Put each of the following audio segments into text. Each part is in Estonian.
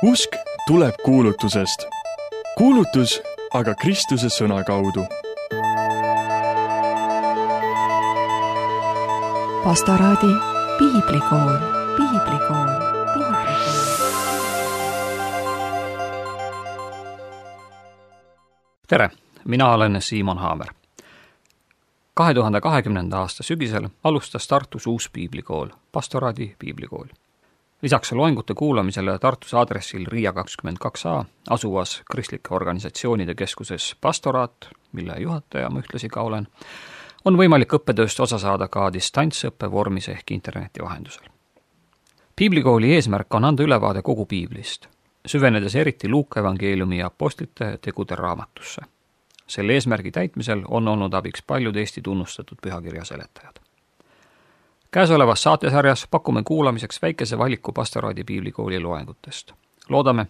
Usk tuleb kuulutusest. Kuulutus aga Kristuse sõna kaudu. Pastoraadi piiblikool. Tere, mina olen Siimon Haamer. 2020. aasta sügisel alustas Tartus uus piiblikool, Pastoraadi piiblikool. Lisaks loengute kuulamisele Tartus aadressil Riia 22a asuvas kristlike organisatsioonide keskuses Pastoraat, mille juhataja ma ühtlasi ka olen, on võimalik õppetööst osa saada ka distantsõppe vormis ehk interneti vahendusel. Piiblikooli eesmärk on anda ülevaade kogu piiblist, süvenedes eriti Luuka evangeeliumi ja apostlite tegude raamatusse. Selle eesmärgi täitmisel on olnud abiks paljud Eesti tunnustatud pühakirja seletajad. Käesolevas saatesarjas pakume kuulamiseks väikese valiku Pastoraadi piiblikooli loengutest. Loodame,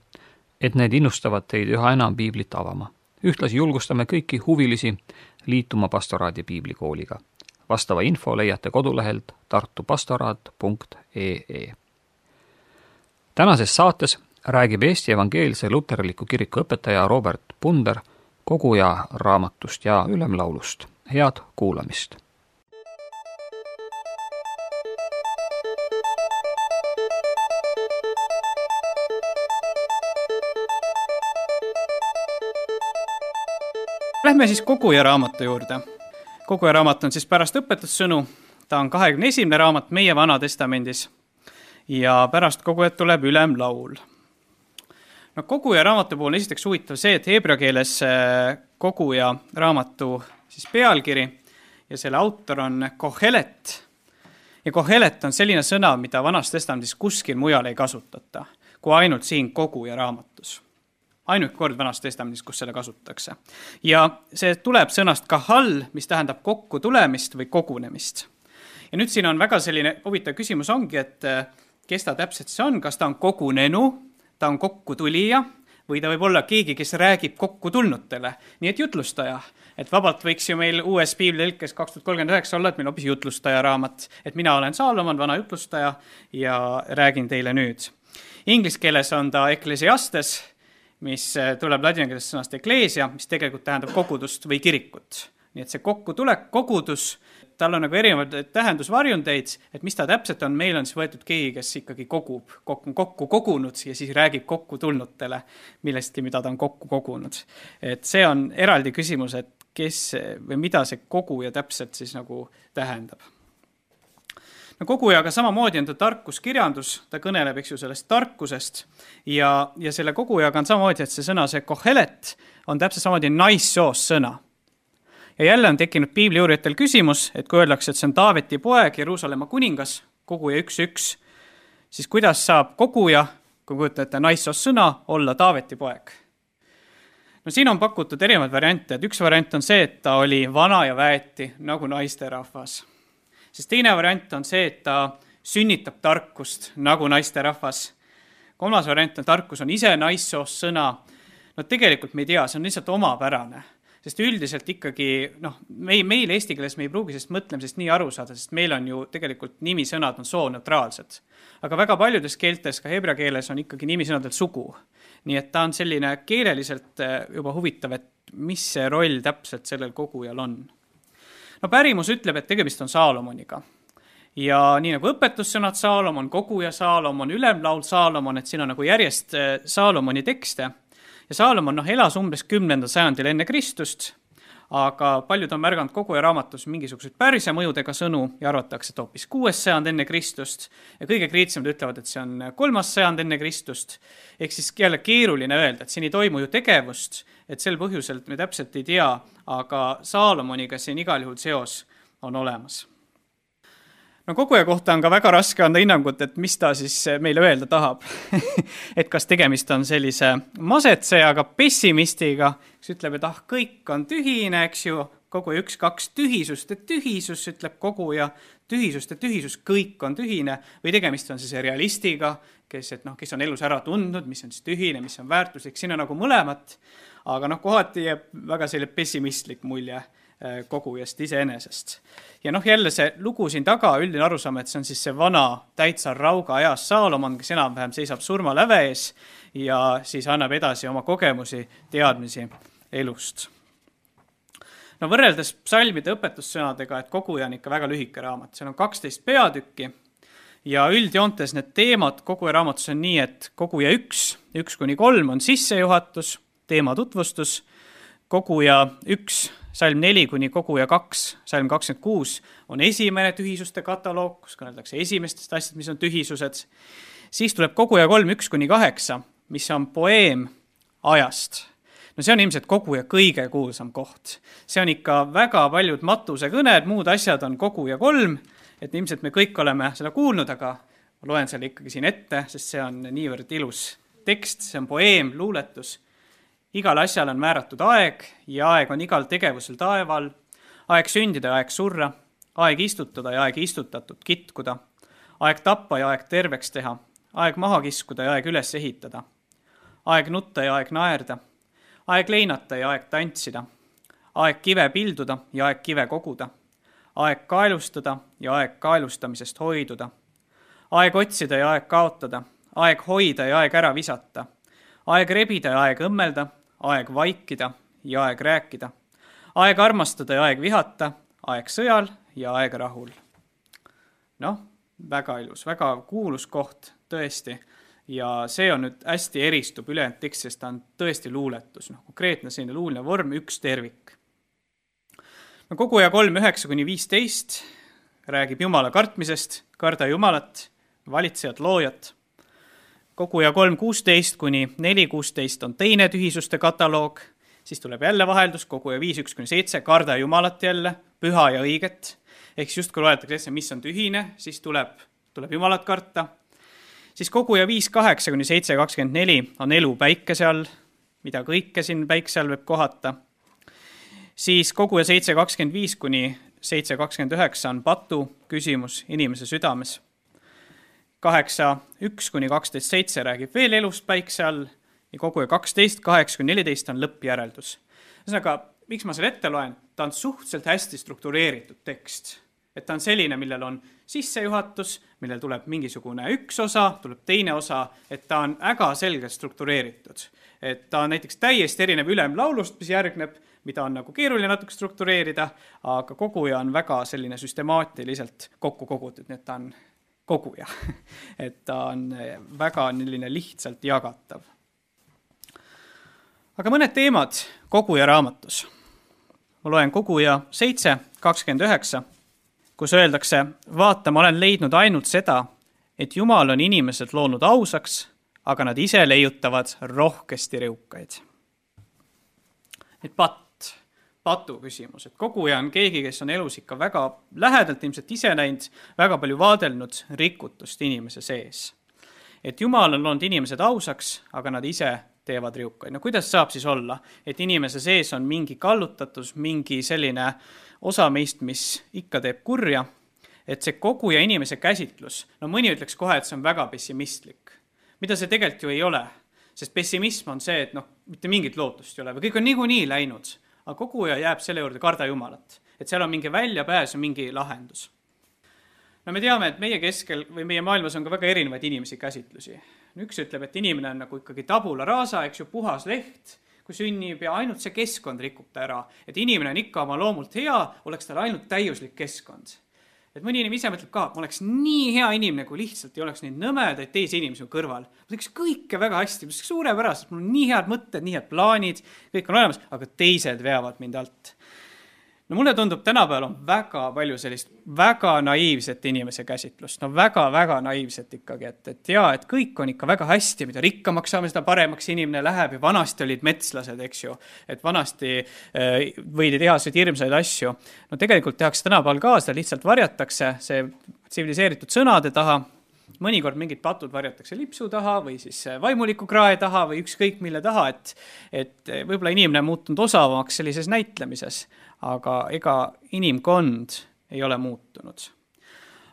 et need innustavad teid üha enam piiblit avama. Ühtlasi julgustame kõiki huvilisi liituma Pastoraadi piiblikooliga. Vastava info leiate kodulehelt tartupastoraat.ee. Tänases saates räägib Eesti Evangeelse Luterliku Kiriku õpetaja Robert Punder koguja raamatust ja ülemlaulust. Head kuulamist! Lähme siis koguja raamatu juurde. Koguja raamat on siis pärast õpetussõnu. Ta on 21. raamat meie Vana Testamendis. Ja pärast kogujat tuleb ülemlaul. No, koguja raamatu puhul on esiteks huvitav see, et heebrea keeles koguja raamatu siis pealkiri ja selle autor on Kohelet. Ja Kohelet on selline sõna, mida Vanas Testamendis kuskil mujal ei kasutata, kui ainult siin koguja raamatus. Ainult kord Vanas Testamendis, kus selle kasutatakse. Ja see tuleb sõnast kahal, mis tähendab kokku tulemist või kogunemist. Ja nüüd siin on väga selline huvitav küsimus ongi, et kes ta täpselt see on, kas ta on kogunenu, ta on kokku tulija või ta võib olla keegi, kes räägib kokku tulnutele. Nii et jutlustaja. Et vabalt võiks ju meil uues piiblitõlkes 2039 olla, et meil hoopis jutlustaja raamat. Et mina olen Saalomon, vana jutlustaja ja räägin teile nüüd. Inglise keeles on ta Ecclesiastes, mis tuleb ladinakeelsest sõnast ecclesia, mis tegelikult tähendab kogudust või kirikut. Nii et see kokkutulek, kogudus, tal on nagu erinevad tähendusvarjundeid, et mis ta täpselt on, meil on siis võetud keegi, kes ikkagi kokku kogunud ja siis räägib kokku tulnutele millestki, mida ta on kokku kogunud. Et see on eraldi küsimus, et kes või mida see koguja täpselt siis nagu tähendab. No, kogujaga samamoodi on ta tarkuskirjandus, ta kõneleb eks ju sellest tarkusest ja selle kogujaga on samamoodi, et see sõna, see kohelet on täpselt samamoodi naissoost sõna. Ja jälle on tekkinud piibliuurijatel küsimus, et kui öeldakse, et see on Taaveti poeg, Jeruusalemma kuningas, koguja 1.1, siis kuidas saab koguja, kui kujutate naissoost sõna, olla Taaveti poeg? No siin on pakutud erinevad variante, et üks variant on see, et ta oli vana ja väeti nagu naisterahvas. Sest teine variant on see, et ta sünnitab tarkust nagu naisterahvas. Kolmas variant on tarkus on ise naissoost sõna. No tegelikult me ei tea, see on lihtsalt omapärane. Sest üldiselt ikkagi, meil eesti keeles me ei pruugi sest mõtlemisest nii aru saada, sest meil on ju tegelikult nimisõnad on sooneutraalsed. Aga väga paljudes keeltes, ka heebrea keeles, on ikkagi nimisõnadel sugu. Nii et ta on selline keeleliselt juba huvitav, et mis see roll täpselt sellel kogujal on. No pärimus ütleb, et tegemist on Saalomoniga. Ja nii nagu õpetussõnad Saalomon, koguja Saalomon, ülemlaul Saalomon, et siin on nagu järjest Saalomoni tekste. Ja Saalomon elas umbes 10. sajandil enne Kristust, aga paljud on märganud koguja raamatus mingisuguseid Pärsia mõjudega sõnu ja arvatakse, et hoopis 6. sajand enne Kristust ja kõige kriitsemad ütlevad, et see on 3. sajand enne Kristust. Ehk siis jälle keeruline öelda, et siin ei toimu ju tegevust, et sel põhjusel me täpselt ei tea, aga Saalomoniga siin igal juhul seos on olemas. No koguja kohta on ka väga raske anda hinnangut, et mis ta siis meile öelda tahab. Et kas tegemist on sellise masetsejaga, pessimistiga, kes ütleb, et kõik on tühine, eks ju, koguja 1-2 tühisust, et tühisus, ütleb koguja, tühisust, et tühisus, kõik on tühine, või tegemist on siis realistiga, kes on elus ära tundnud, mis on siis tühine, mis on väärtuslik, siin on nagu mõlemat, aga kohati jääb väga selline pessimistlik mulje, kogujast iseenesest. Ja jälle see lugu siin taga, üldine arusaam, et see on siis see vana täitsar Rauga ajas Saalomon, kes enam-vähem seisab surmaläve ees ja siis annab edasi oma kogemusi, teadmisi elust. Võrreldes psalmide õpetussõnadega, et koguja on ikka väga lühike raamat, seal on 12 peatükki ja üldjoontes need teemad koguja raamatus on nii, et koguja 1-3 on sissejuhatus, teema tutvustus, koguja 1, salm 4 kuni koguja 2, salm 26 on esimene tühisuste kataloog, kus kõneldakse esimestest asjad, mis on tühisused. Siis tuleb koguja 3, 1-8, mis on poeem ajast. See on ilmselt koguja kõige kuulsam koht. See on ikka väga paljud matuse kõned, muud asjad on koguja 3, et ilmselt me kõik oleme seda kuulnud, aga ma loen selle ikkagi siin ette, sest see on niivõrd ilus tekst, see on poeem, luuletus. Igal asjal on määratud aeg ja aeg on igal tegevusel taeval, aeg sündida ja aeg surra, aeg istutada ja aeg istutatud, kitkuda, aeg tappa ja aeg terveks teha, aeg maha kiskuda ja aeg üles ehitada, aeg nutta ja aeg naerda, aeg leinata ja aeg tantsida, aeg kive pilduda ja aeg kive koguda, aeg kaelustada ja aeg kaelustamisest hoiduda, aeg otsida ja aeg kaotada, aeg hoida ja aeg ära visata, aeg rebida ja aeg õmmelda, aeg vaikida ja aeg rääkida, aeg armastada ja aeg vihata, aeg sõjal ja aeg rahul. Väga ilus, väga kuulus koht tõesti ja see on nüüd hästi eristub ülejäänud tekst, sest ta on tõesti luuletus, konkreetne selline luuline vorm, üks tervik. Koguja 3, 9-15 räägib Jumala kartmisest, karda Jumalat, valitsejat, loojat. Koguja 3.16-4.16 on teine tühisuste kataloog, siis tuleb jälle vaheldus, koguja 5.1-7, karda Jumalat jälle, püha ja õiget, ehk just kui loetakse, mis on tühine, siis tuleb Jumalat karta. Siis koguja 5.8-7.24 on elu päikese all, mida kõike siin päikse all võib kohata. Siis koguja 7.25-7.29 on patu küsimus inimese südames. 8.1-12.7 räägib veel elust päikse all ja koguja 12.8-14 on lõppjäreldus. Ühesõnaga, miks ma selle ette loen? Ta on suhteliselt hästi struktureeritud tekst. Et ta on selline, millel on sissejuhatus, millel tuleb mingisugune üks osa, tuleb teine osa, et ta on väga selgelt struktureeritud. Et ta on näiteks täiesti erinev ülemlaulust, mis järgneb, mida on nagu keeruline natuke struktureerida, aga koguja on väga selline süstemaatiliselt kokku kogutud, nii et ta on koguja, et ta on väga lihtsalt jagatav. Aga mõned teemad koguja raamatus. Ma loen koguja 7.29, kus öeldakse, vaata, ma olen leidnud ainult seda, et Jumal on inimesed loonud ausaks, aga nad ise leiutavad rohkesti riukaid. Et patu küsimus, et koguja on keegi, kes on elus ikka väga lähedalt ilmselt ise näinud, väga palju vaadelnud rikutust inimese sees. Et Jumal on loonud inimesed ausaks, aga nad ise teevad riukaid. Kuidas saab siis olla, et inimese sees on mingi kallutatus, mingi selline osa meist, mis ikka teeb kurja, et see koguja inimese käsitlus, mõni ütleks kohe, et see on väga pessimistlik. Mida see tegelikult ju ei ole, sest pessimism on see, et mitte mingit lootust ei ole või kõik on niikuinii läinud. Aga koguja jääb selle juurde karda Jumalat, et seal on mingi väljapääs ja mingi lahendus. Me teame, et meie keskel või meie maailmas on ka väga erinevaid inimesi käsitlusi. Üks ütleb, et inimene on nagu ikkagi tabula rasa, eks ju, puhas leht, kui sünnib ja ainult see keskkond rikub ta ära. Et inimene on ikka oma loomult hea, oleks tal ainult täiuslik keskkond. Et mõni inimene ise mõtleb ka, ma oleks nii hea inimene, kui lihtsalt ei oleks neid nõmedaid teisi inimesi kõrval. Ma teeks kõike väga hästi, suurepäraselt, mul on nii head mõtted, nii head plaanid, kõik on olemas, aga teised veavad mind alt. Mulle tundub, tänapäeval on väga palju sellist väga naiivset inimese käsitlust. Väga naiivset ikkagi, et kõik on ikka väga hästi, mida rikkamaks saame, seda paremaks inimene läheb ja vanasti olid metslased, eks ju, et vanasti võidi teha seda hirmsaid asju. Tegelikult tehakse tänapäeval ka, seda lihtsalt varjatakse see tsiviliseeritud sõnade taha, mõnikord mingid patud varjatakse lipsu taha või siis vaimuliku krae taha või ükskõik mille taha, et võib-olla inimene on muutunud osavamaks sellises näitlemises, aga ega inimkond ei ole muutunud.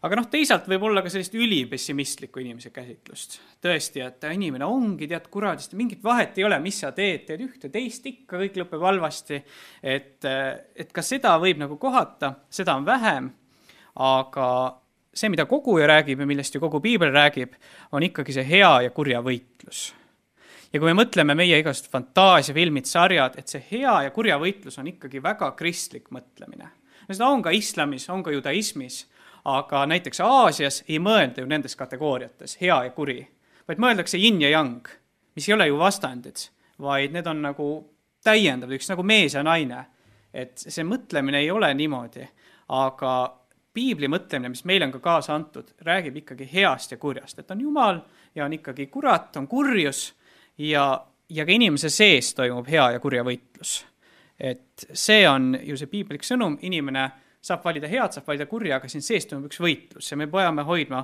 Aga teisalt võib olla ka sellist ülipessimistlikku inimese käsitlust. Tõesti, et inimene ongi, tead, kuradist, mingit vahet ei ole, mis sa teed ühte, teist ikka, kõik lõpeb halvasti. Et ka seda võib nagu kohata, seda on vähem, aga see, mida koguja räägib ja millest ju kogu piibel räägib, on ikkagi see hea ja kurja võitlus. Ja kui me mõtleme meie igast fantaasiafilmid, sarjad, et see hea ja kurja võitlus on ikkagi väga kristlik mõtlemine. Seda on ka islamis, on ka judaismis, aga näiteks Aasias ei mõelda ju nendes kategooriates, hea ja kuri, vaid mõeldakse yin ja yang, mis ei ole ju vastandid, vaid need on nagu täiendavad, üks nagu mees ja naine. Et see mõtlemine ei ole niimoodi, aga piibli mõtlemine, mis meile on ka kaasa antud, räägib ikkagi heast ja kurjast, et on Jumal ja on ikkagi kurat, on kurjus ja ka inimese sees toimub hea ja kurja võitlus. Et see on ju see piiblik sõnum, inimene saab valida head, saab valida kurja, aga siin sees toimub üks võitlus ja me peame hoidma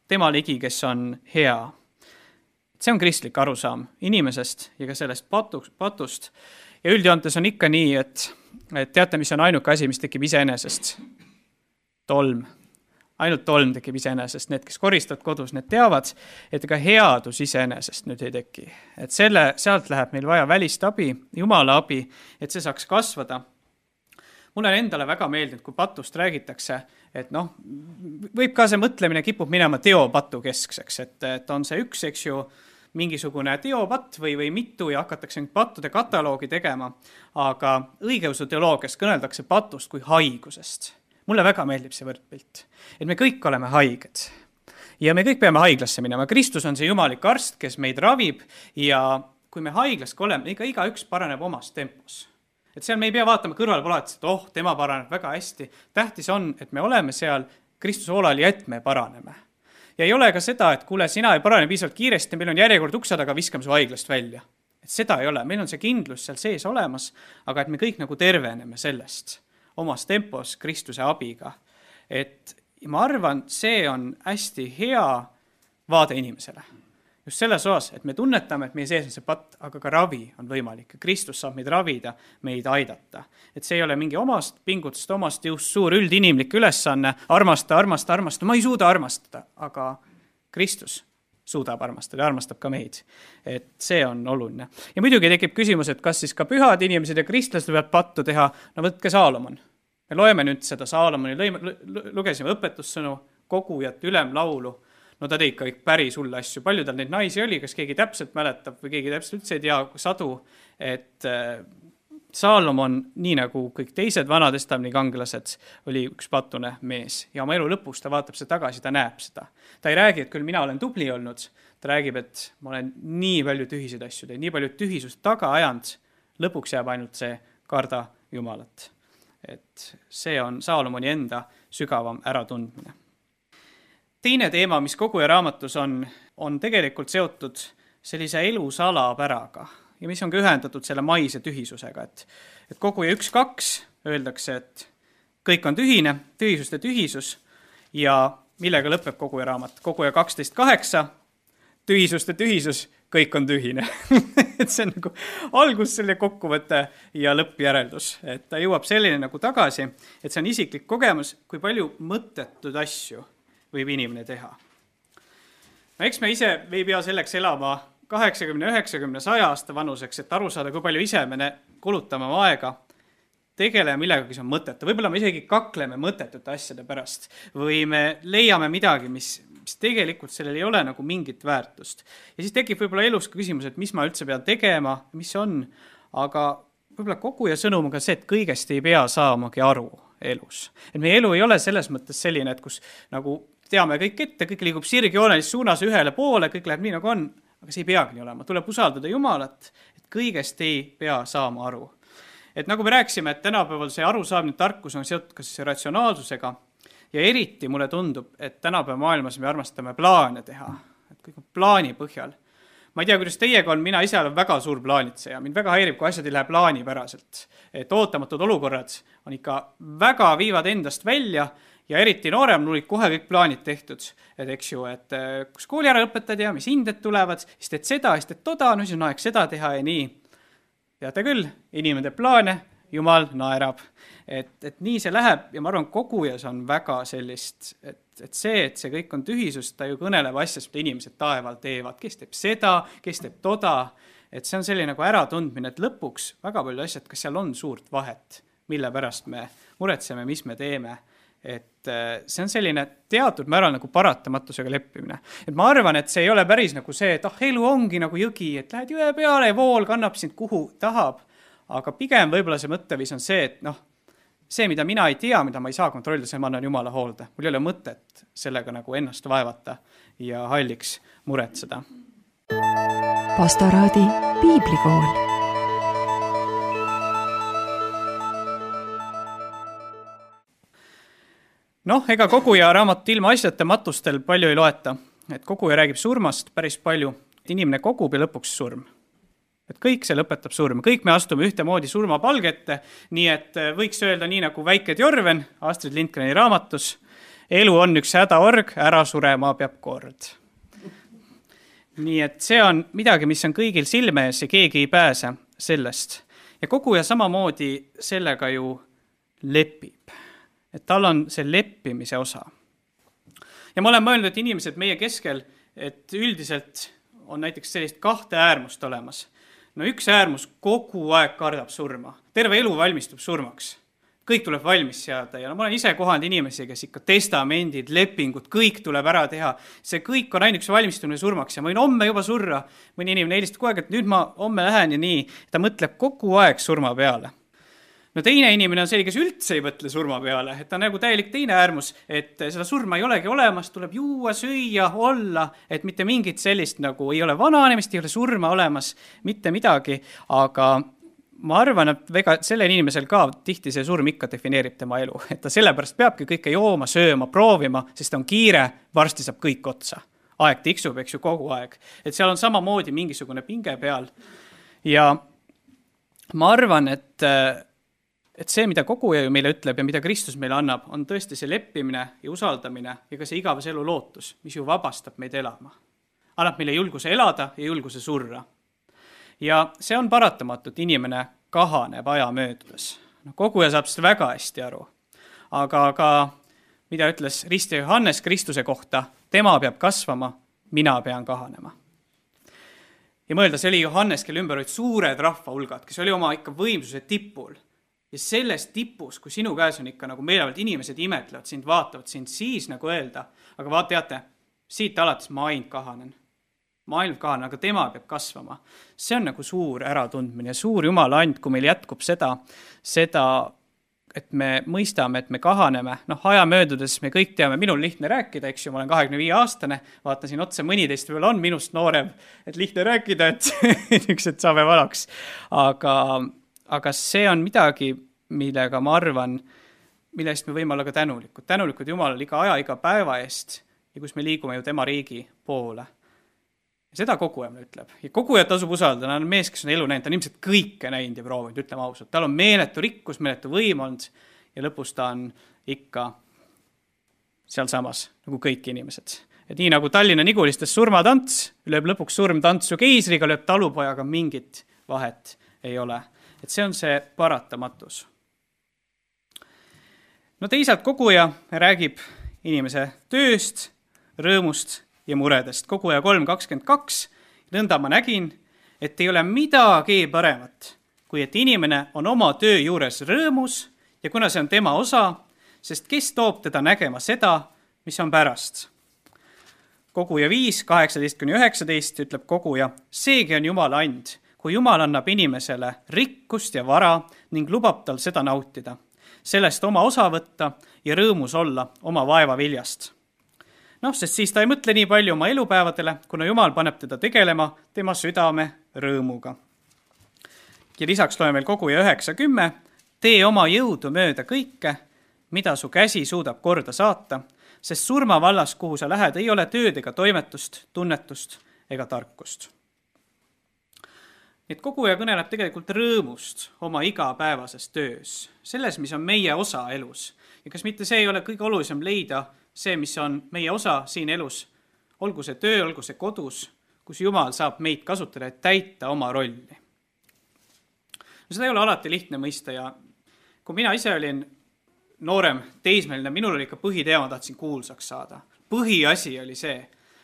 tema ligi, kes on hea. See on kristlik arusaam inimesest ja ka sellest patust. Ja üldjoontes on ikka nii, et teate, mis on ainuke asi, mis tekib iseenesest? Tolm. Ainult tolm tekib iseenesest. Need, kes koristavad kodus, need teavad, et ka headus iseenesest nüüd ei teki. Et sealt läheb meil vaja välist abi, Jumala abi, et see saaks kasvada. Mulle on endale väga meeldinud, kui patust räägitakse, et võib ka see mõtlemine kipub minema teopatu keskseks, et on see üks, eks ju, mingisugune teopatt või mitu ja hakatakse pattude kataloogi tegema, aga õigeusu teoloogias kõneldakse patust kui haigusest. Mulle väga meeldib see võrdpilt, et me kõik oleme haiged ja me kõik peame haiglasse minema. Kristus on see jumalik arst, kes meid ravib ja kui me haiglas oleme, igaüks paraneb omas tempos. Et seal me ei pea vaatama kõrval polatis, et tema paraneb väga hästi. Tähtis on, et me oleme seal Kristuse hoolal ja et me paraneme. Ja ei ole ka seda, et kuule, sina ei parane piisavalt kiiresti, meil on järjekord ukse taga, viskame su haiglast välja. Et seda ei ole, meil on see kindlus seal sees olemas, aga et me kõik nagu terveneme sellest omas tempos Kristuse abiga. Et ma arvan, see on hästi hea vaade inimesele. Just selles osas, et me tunnetame, et meie sees on see patt, aga ka ravi on võimalik. Kristus saab meid ravida, meid aidata. Et see ei ole mingi omast pingutust, omast just suur üldinimlik ülesanne, armasta. Ma ei suuda armastada, aga Kristus suudab armastada ja armastab ka meid. Et see on oluline. Ja muidugi tekib küsimus, et kas siis ka pühad inimesed ja kristlased võivad pattu teha. No võtke Saalomon. Me loeme nüüd seda Saalomoni, lugesime õpetussõnu, kogujat, ülemlaulu. No ta tegi kõik päris hulle asju. Palju tal neid naisi oli, kas keegi täpselt mäletab või keegi täpselt üldse ei tea sadu, et Saalomon, nii nagu kõik teised vanatestameni kangelased, oli üks patune mees. Ja oma elu lõpus ta vaatab seda tagasi, ta näeb seda. Ta ei räägi, et küll mina olen tubli olnud. Ta räägib, et ma olen nii palju tühiseid asju teinud, nii palju tühisust taga ajanud. Lõpuks jääb ainult see karda Jumalat. Et see on Saalomoni enda sügavam äratundmine. Teine teema, mis koguja raamatus on tegelikult seotud sellise elu salapäraga ja mis on ka ühendatud selle maise tühisusega. Et koguja 1-2 öeldakse, et kõik on tühine, tühisust ja tühisus ja millega lõpeb koguja raamat. Koguja 12-8, tühisust ja tühisus, kõik on tühine. Et see on nagu algus selle kokkuvõte ja lõppjäreldus. Et ta jõuab selline nagu tagasi, et see on isiklik kogemus, kui palju mõttetud asju võib inimene teha. No eks me ise ei pea selleks elama 80, 90, 100 aasta vanuseks, et aru saada, kui palju ise me kulutame aega, tegeleme millegagi, mis on mõttetu. Võib-olla me isegi kakleme mõttetute asjade pärast või me leiame midagi, mis tegelikult sellel ei ole nagu mingit väärtust. Ja siis tekib võib-olla elus ka küsimus, et mis ma üldse pean tegema, mis on, aga võib-olla koguja sõnum on ka see, et kõigest ei pea saamagi aru elus. Et meie elu ei ole selles mõttes selline, et kus nagu teame kõik ette, kõik liigub sirgjoonelis suunas ühele poole, kõik läheb nii nagu on, aga see ei peagi nii olema. Tuleb usaldada Jumalat, et kõigest ei pea saama aru. Et nagu me rääkisime, et tänapäeval see arusaamine tarkus on seotud ka siis ratsionaalsusega ja eriti mulle tundub, et tänapäeva maailmas me armastame plaane teha, et kõik on plaani põhjal. Ma ei tea, kuidas teiega on, mina ise olen väga suur plaanitseja. Mind väga häirib, kui asjad ei lähe plaanipäraselt. Et ootamatud olukorrad on ikka väga viivad endast välja ja eriti noorem olid kohe kõik plaanid tehtud. Et eks ju, et kus kooli ära õpetad ja mis hinded tulevad, siis teed seda, siis teed toda, no siis on aeg seda teha ja nii. Teate küll, inimene teeb plaane Jumal naerab. Et nii see läheb ja ma arvan, kogujas on väga sellist, et see kõik on tühisus, ta ju kõneleb asjast, mida inimesed taeval teevad, kes teeb seda, kes teeb toda, et see on selline nagu äratundmine, et lõpuks väga palju asjad, kas seal on suurt vahet, mille pärast me muretseme, mis me teeme. Et see on selline teatud määral nagu paratamatusega leppimine. Et ma arvan, et see ei ole päris nagu see, et elu ongi nagu jõgi, et lähed jõe peale ja vool kannab sind kuhu tahab. Aga pigem võib-olla see mõtteviis on see, et see, mida mina ei tea, mida ma ei saa kontrollida, see ma annan Jumala hoolde. Mul ei ole mõtet sellega nagu ennast vaevata ja halliks muretseda. Pastoraadi piiblikool. Ega koguja raamat ilma asjata matustel palju ei loeta. Et koguja räägib surmast päris palju. Inimene kogub ja lõpuks surm. Et kõik see lõpetab surma. Kõik me astume ühtemoodi surmapalgette, nii et võiks öelda nii nagu Väike Tjorven Astrid Lindgreni raamatus. Elu on üks hädaorg, ära surema peab kord. Nii et see on midagi, mis on kõigil silme ees ja keegi ei pääse sellest. Ja koguja samamoodi sellega ju lepib. Et tal on see leppimise osa. Ja ma olen mõelnud, et inimesed meie keskel, et üldiselt on näiteks sellist kahte äärmust olemas. Üks äärmus kogu aeg kardab surma. Terve elu valmistub surmaks. Kõik tuleb valmis seada ja ma olen ise kohanud inimesi, kes ikka testamendid, lepingud, kõik tuleb ära teha. See kõik on ainuks valmistumine surmaks ja ma võin homme juba surra. Mõni inimene helistab kogu aeg, et nüüd ma homme lähen ja nii. Ta mõtleb kogu aeg surma peale. Teine inimene on selline, kes üldse ei mõtle surma peale, et ta on nagu täielik teine äärmus, et seda surma ei olegi olemas, tuleb juua, süüa, olla, et mitte mingit sellist nagu ei ole vananemist, ei ole surma olemas, mitte midagi, aga ma arvan, et väga sellel inimesel ka tihti see surm ikka defineerib tema elu, et ta sellepärast peabki kõike jooma, sööma, proovima, sest on kiire, varsti saab kõik otsa. Aeg tiksub, eks ju, kogu aeg. Et seal on samamoodi mingisugune pinge peal. Ja ma arvan, et see, mida koguja ju meile ütleb ja mida Kristus meile annab, on tõesti see leppimine ja usaldamine ja ka see igavese elu lootus, mis ju vabastab meid elama. Annab meile julguse elada ja julguse surra. Ja see on paratamatu, et inimene kahaneb aja möödudes. Koguja saab seda väga hästi aru. Aga mida ütles ristja Johannes Kristuse kohta, tema peab kasvama, mina pean kahanema. Ja mõelda, see oli Johannes, kelle ümber olid suured rahvahulgad, kes oli oma ikka võimsuse tipul. Ja selles tipus, kui sinu käes on ikka nagu meelevalt inimesed imetlevad, sind vaatavad, sind siis nagu öelda, aga teate, siit alates ma ainult kahanen, aga tema peab kasvama. See on nagu suur äratundmine ja suur Jumala and, kui meil jätkub seda, et me mõistame, et me kahaneme. Aja möödudes me kõik teame, minul lihtne rääkida, eks ju, ma olen 25-aastane, vaatan siin otsa, mõni teist veel on minust noorem, et lihtne rääkida, et üks, et saame vanaks. Aga see on midagi, millega ma arvan, millest me võime olla ka tänulikud. Tänulikud Jumalale iga aja, iga päeva eest ja kus me liigume ju tema riigi poole. Ja seda koguja ütleb. Ja koguja tasub usaldada, ta on mees, kes on elu näinud, ta on ilmselt kõike näinud ja proovinud, ütleme ausalt. Tal on meeletu rikkus, meeletu võim olnud ja lõpus ta on ikka seal samas, nagu kõik inimesed. Et nii nagu Tallinna Nigulistes surmatants, lööb lõpuks surm tantsu keisriga, lööb talupojaga mingit vahet ei ole. Et see on see paratamatus. Teisalt koguja räägib inimese tööst, rõõmust ja muredest. Koguja 3.22. Nõnda ma nägin, et ei ole midagi paremat, kui et inimene on oma töö juures rõõmus ja kuna see on tema osa, sest kes toob teda nägema seda, mis on pärast. Koguja 5, 18-19 ütleb koguja, seegi on Jumala and. Kui Jumal annab inimesele rikkust ja vara ning lubab tal seda nautida, sellest oma osa võtta ja rõõmus olla oma vaeva viljast. Sest siis ta ei mõtle nii palju oma elupäevadele, kuna Jumal paneb teda tegelema tema südame rõõmuga. Ja lisaks loeme veel koguja 9.10. Tee oma jõudu mööda kõike, mida su käsi suudab korda saata, sest surma vallas, kuhu sa lähed, ei ole tööd ega toimetust, tunnetust ega tarkust. Et koguja kõneleb tegelikult rõõmust oma igapäevases töös, selles, mis on meie osa elus. Ja kas mitte see ei ole kõige olulisem leida see, mis on meie osa siin elus, olgu see töö, olgu see kodus, kus Jumal saab meid kasutada, et täita oma rolli. Seda ei ole alati lihtne mõista ja kui mina ise olin noorem teismeline, minul oli ikka põhiteema, tahtsin kuulsaks saada. Põhiasi oli see.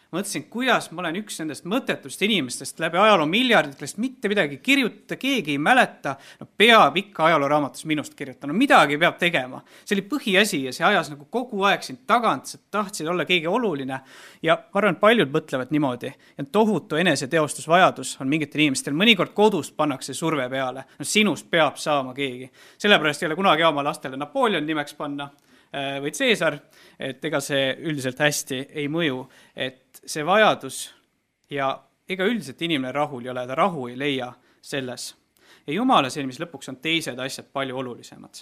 Mõtlesin, kuidas ma olen üks nendest mõttetust inimestest läbi ajaloo miljarditest, mitte midagi kirjutada, keegi ei mäleta, no peab ikka ajalooraamatus minust kirjutama, midagi peab tegema. See oli põhiasi ja see ajas nagu kogu aeg sind tagant, sa tahtsid olla keegi oluline ja ma arvan, et paljud mõtlevad niimoodi. Ja tohutu eneseteostusvajadus on mingitel inimestel, mõnikord kodust pannakse surve peale, no sinust peab saama keegi. Sellepärast ei ole kunagi oma lastele Napoleon nimeks panna või Caesar, et ega see üldiselt hästi ei mõju, et see vajadus ja ega üldiselt inimene rahul ei ole, ta rahu ei leia selles. Ja Jumala silmis lõpuks on teised asjad palju olulisemad.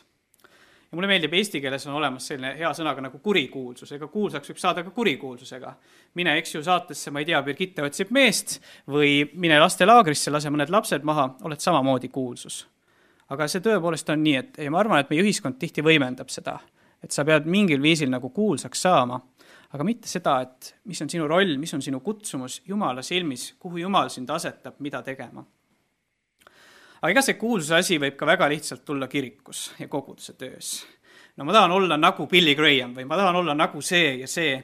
Ja mulle meeldib, eesti keeles on olemas selline hea sõnaga nagu kurikuulsus, ega kuulsaks võib saada ka kurikuulsusega. Mine eks ju saatesse, ma ei tea, Birgitte otsib meest või mine lastelaagrisse, lase mõned lapsed maha, oled samamoodi kuulsus. Aga see tõepoolest on nii, et ma arvan, et meie ühiskond tihti võimendab seda, et sa pead mingil viisil nagu kuulsaks saama, aga mitte seda, et mis on sinu roll, mis on sinu kutsumus Jumala silmis, kuhu Jumal sind asetab, mida tegema. Aga ega see kuulsuse asi võib ka väga lihtsalt tulla kirikus ja koguduse töös. No ma tahan olla nagu Billy Graham või ma tahan olla nagu see ja see.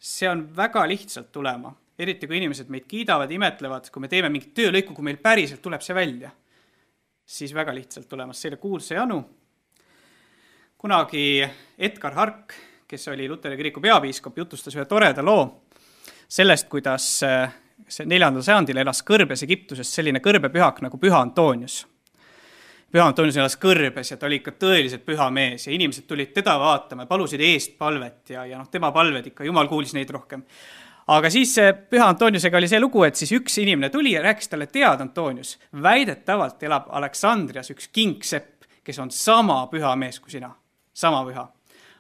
See on väga lihtsalt tulema. Eriti kui inimesed meid kiidavad, imetlevad, kui me teeme mingit töölõiku, kui meil päriselt tuleb see välja, siis väga lihtsalt tulemas selle kuulsuse janu. Kunagi Edgar Hark, kes oli Luteri kiriku peapiiskop, jutustas ühe toreda loo sellest, kuidas 4. sajandil elas Kõrbes Egiptuses selline kõrbepühak nagu Püha Antonius. Püha Antonius elas Kõrbes ja ta oli ikka tõeliselt püha mees ja inimesed tulid teda vaatama ja palusid eest palvet ja tema palved ikka, Jumal kuulis neid rohkem. Aga siis Püha Antoniusega oli see lugu, et siis üks inimene tuli ja rääkis talle, tead Antonius, väidetavalt elab Aleksandrias üks kingsepp, kes on sama püha mees kui sina. Sama püha.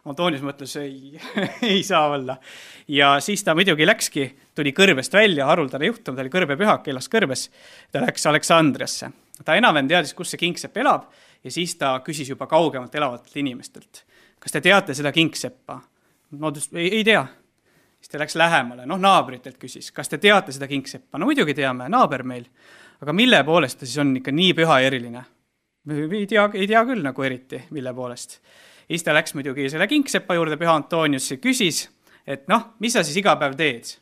Antonius mõtles, ei saa olla. Ja siis ta muidugi läkski, tuli Kõrbest välja, haruldane juhtum, ta oli kõrbepühak, elas Kõrbes, ta läks Aleksandriasse. Ta enam teadis, kus see kingsepp elab ja siis ta küsis juba kaugemalt elavatelt inimestelt. Kas te teate seda kingseppa? No ei tea. Siis ta läks lähemale, naabritelt küsis, kas te teate seda kingseppa? No muidugi teame, naaber meil. Aga mille poolest ta siis on ikka nii püha ja eriline? Ei tea küll nagu eriti, mille poolest. Siis ta läks muidugi selle kingsepa juurde, Püha Antonius küsis, et mis sa siis iga päev teed?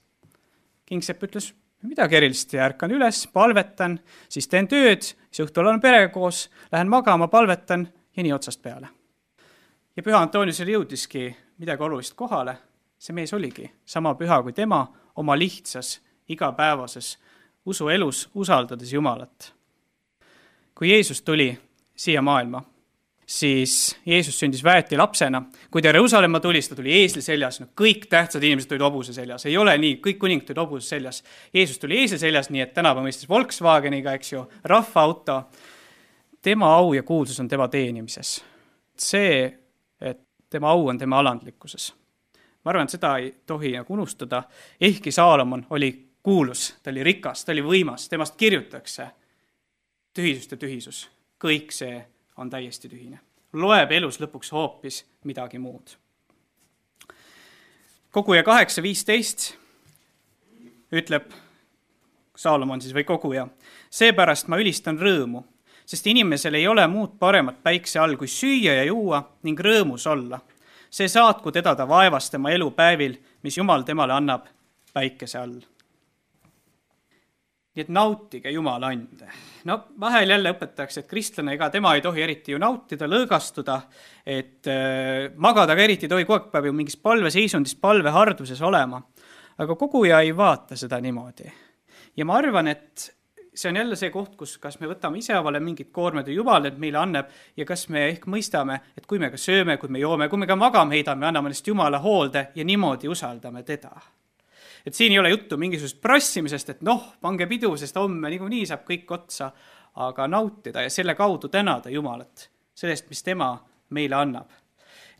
Kingsepp ütles, midagi erilist, ärkan üles, palvetan, siis teen tööd, siis õhtul olen perega koos, lähen magama, palvetan ja nii otsast peale. Ja Püha Antoniusele jõudiski midagi olulist kohale. See mees oligi sama püha kui tema oma lihtsas, igapäevases usuelus usaldades Jumalat. Kui Jeesus tuli siia maailma, siis Jeesus sündis väeti lapsena. Kui ta Jeruusalemma tuli, ta tuli eesli seljas. Kõik tähtsad inimesed tulid hobuse seljas. Ei ole nii, kõik kuningid tulid hobuse seljas. Jeesus tuli eesli seljas, nii et tänapäeva mõistes Volkswageniga, eks ju, rahvaauto. Tema au ja kuulsus on tema teenimises. See, et tema au on tema alandlikkuses. Ma arvan, et seda ei tohi unustada. Ehkki Saalomon oli kuulus, ta oli rikas, ta oli võimas, temast kirjutakse tühisust ja tühisus. Kõik see on täiesti tühine. Loeb elus lõpuks hoopis midagi muud. Koguja 8.15 ütleb Saalomon siis või koguja. Seepärast ma ülistan rõõmu, sest inimesel ei ole muud paremat päikse all kui süüa ja juua ning rõõmus olla. See saatku teda ta vaevas tema elupäevil, mis Jumal temale annab päikese all. Nii et nautige Jumala ande. Vahel jälle õpetatakse, et kristlane ega tema ei tohi eriti ju nautida, lõõgastuda, et magada ka eriti tohi kogu aeg mingis palveseisundis, palveharduses olema. Aga koguja ei vaata seda niimoodi. Ja ma arvan, et see on jälle see koht, kus kas me võtame ise avale mingid koormed ja Jumal need meile annab ja kas me ehk mõistame, et kui me ka sööme, kui me joome, kui me ka magame heidame, anname neist Jumala hoolde ja niimoodi usaldame teda. Et siin ei ole juttu mingisugust prassimisest, et pange pidu, sest homme niikuinii saab kõik otsa, aga nautida ja selle kaudu tänada Jumalat sellest, mis tema meile annab.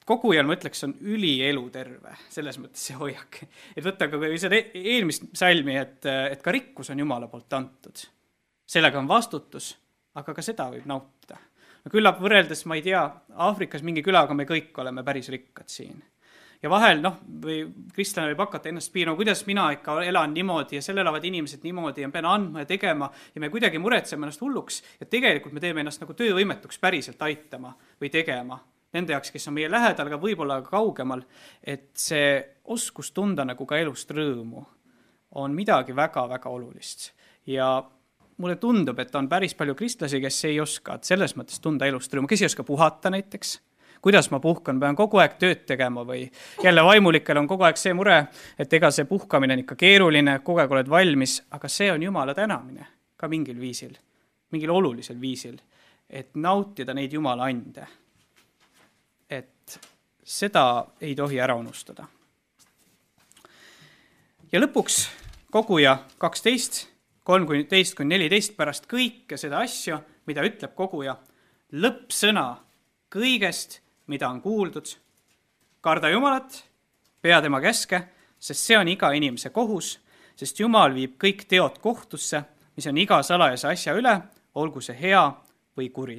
Kogujal, ma ütleks, on ülielu terve, selles mõttes see hoiak. Et võtta ka seda eelmist salmi, et ka rikkus on Jumala poolt antud. Sellega on vastutus, aga ka seda võib nautida. Küllap võrreldes, ma ei tea, Aafrikas mingi külaga me kõik oleme päris rikkad siin. Ja vahel, või kristlane võib hakata ennast piirama, kuidas mina ikka elan niimoodi ja seal elavad inimesed niimoodi ja pean andma ja tegema ja me kuidagi muretseme ennast hulluks ja tegelikult me teeme ennast nagu töövõimetuks päriselt aitama või tegema. Nende jaoks, kes on meie lähedal, aga võib-olla ka kaugemal, et see oskus tunda nagu ka elust rõõmu on midagi väga-väga olulist. Ja mulle tundub, et on päris palju kristlasi, kes ei oska selles mõttes tunda elust rõõmu, kes ei oska puhata näiteks. Kuidas ma puhkan, pean kogu aeg tööd tegema või jälle vaimulikel on kogu aeg see mure, et ega see puhkamine on ikka keeruline, kogu aeg oled valmis, aga see on Jumala tänamine ka mingil viisil, mingil olulisel viisil, et nautida neid Jumala ande. Et seda ei tohi ära unustada. Ja lõpuks koguja 12, 13-14 pärast kõike seda asju, mida ütleb koguja, lõppsõna kõigest, mida on kuuldud, karda Jumalat, pea tema käske, sest see on iga inimese kohus, sest Jumal viib kõik teod kohtusse, mis on iga salajase asja üle, olgu see hea või kuri.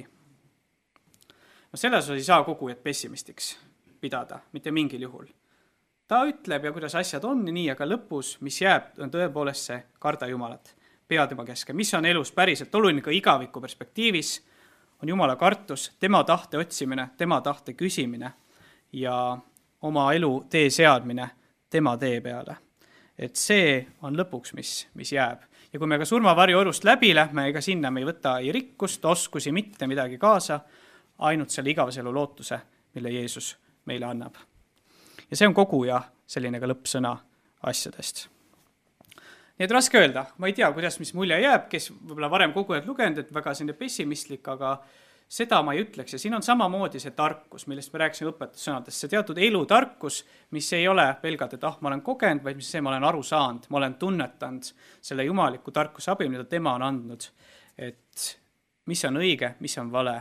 Selles ei saa kogujat pessimistiks pidada, mitte mingil juhul. Ta ütleb ja kuidas asjad on nii, aga lõpus, mis jääb, on tõepoolest see karda Jumalat, pea tema käske, mis on elus päriselt oluline ka igaviku perspektiivis, on Jumala kartus, tema tahte otsimine, tema tahte küsimine ja oma elu tee seadmine tema tee peale. Et see on lõpuks, mis jääb. Ja kui me ka surmavarju orust läbi lähme, ega sinna me ei võta ei rikkust, oskusi, mitte midagi kaasa, ainult selle igaveselu lootuse, mille Jeesus meile annab. Ja see on koguja selline ka lõppsõna asjadest. Nii et raske öelda, ma ei tea, kuidas mis mulje jääb, kes võib-olla varem kogujad lugenud, et väga selline pessimistlik, aga seda ma ei ütleks. Ja siin on samamoodi see tarkus, millest me rääkisime õpetussõnadest. See teatud elutarkus, mis ei ole pelgalt, et ma olen kogenud, vaid mis see ma olen aru saanud, ma olen tunnetanud selle jumaliku tarkuse abil, mida tema on andnud. Et mis on õige, mis on vale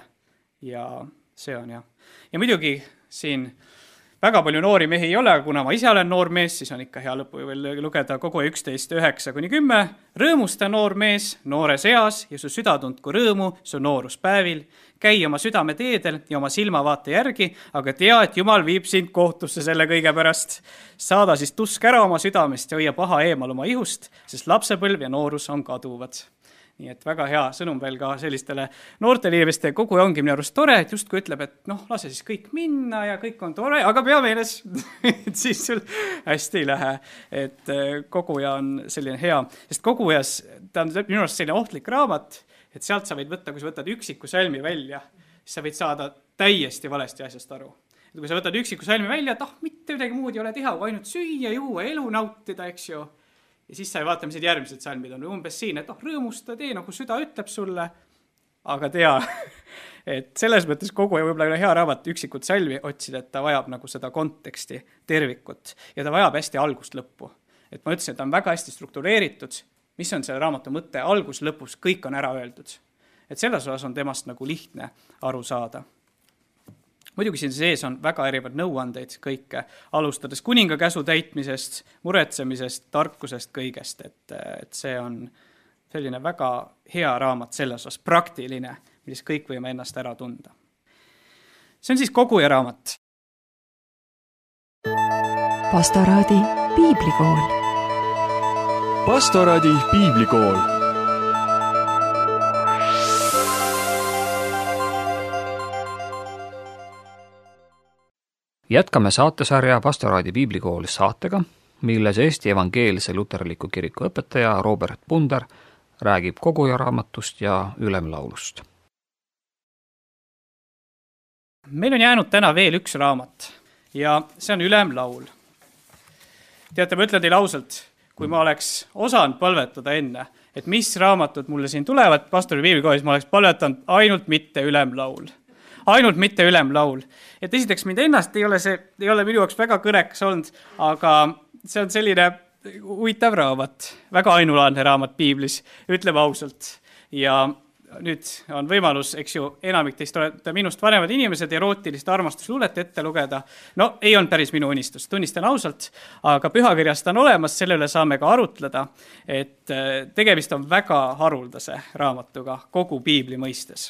ja see on jah. Ja muidugi siin väga palju noori mehi ei ole, kuna ma ise olen noor mees, siis on ikka hea lõpu veel lugeda kogu 11:9-10. Rõõmusta noor mees noores eas ja su süda tundku rõõmu su nooruspäevil. Käi oma südame teedel ja oma silmavaate järgi, aga tea, et Jumal viib sind kohtusse selle kõige pärast. Saada siis tusk ära oma südamest ja hoia paha eemal oma ihust, sest lapsepõlv ja noorus on kaduvad. Nii et väga hea sõnum veel ka sellistele noortele inimeste koguja ongi minu arust tore, et justkui ütleb, et lase siis kõik minna ja kõik on tore, aga pea meeles, et siis sul hästi ei lähe. Et koguja on selline hea, sest kogujas, ta on minu arust selline ohtlik raamat, et sealt sa võid võtta, kui sa võtad üksiku salmi välja, siis sa võid saada täiesti valesti asjast aru. Et kui sa võtad üksiku salmi välja, et mitte midagi muud ei ole teha, kui ainult süüa, juua, elu nautida, eks ju. Ja siis sa ei vaata, mis need järgmised salmid on umbes siin, et rõõmusta tee, nagu süda ütleb sulle, aga tea, et selles mõttes kogu ja võib-olla hea raamat üksikut salmi otsida, et ta vajab nagu seda konteksti, tervikut ja ta vajab hästi algust lõppu. Et ma ütlesin, et ta on väga hästi struktureeritud, mis on selle raamatu mõte, algus lõpus, kõik on ära öeldud. Et selles osas on temast nagu lihtne aru saada. Muidugi siin sees on väga erinevad nõuandeid kõike, alustades kuninga käsu täitmisest, muretsemisest, tarkusest, kõigest. Et see on selline väga hea raamat selles osas, praktiline, milles kõik võime ennast ära tunda. See on siis koguja raamat. Pastoraadi piiblikool. Pastoraadi piiblikool. Jätkame saatesarja Pastoraadi piiblikool saatega, milles Eesti Evangeelse Luterliku Kiriku õpetaja Robert Punder räägib koguja raamatust ja ülemlaulust. Meil on jäänud täna veel üks raamat ja see on ülemlaul. Teate, ma ütlen teile ausalt, kui ma oleks osanud palvetada enne, et mis raamatud mulle siin tulevad Pastoraadi piiblikoolis, ma oleks palvetanud ainult mitte ülemlaul. Ainult mitte ülemlaul. Et esiteks mind ennast ei ole minu jaoks väga kõnekas olnud, aga see on selline huvitav raamat, väga ainulaadne raamat piiblis, ütleme ausalt. Ja nüüd on võimalus, eks ju, enamik teist olete minust vanemad inimesed erootilist armastusluulet ette lugeda. No ei olnud päris minu unistus, tunnistan ausalt, aga pühakirjast on olemas, selle üle saame ka arutleda, et tegemist on väga haruldase raamatuga kogu piibli mõistes.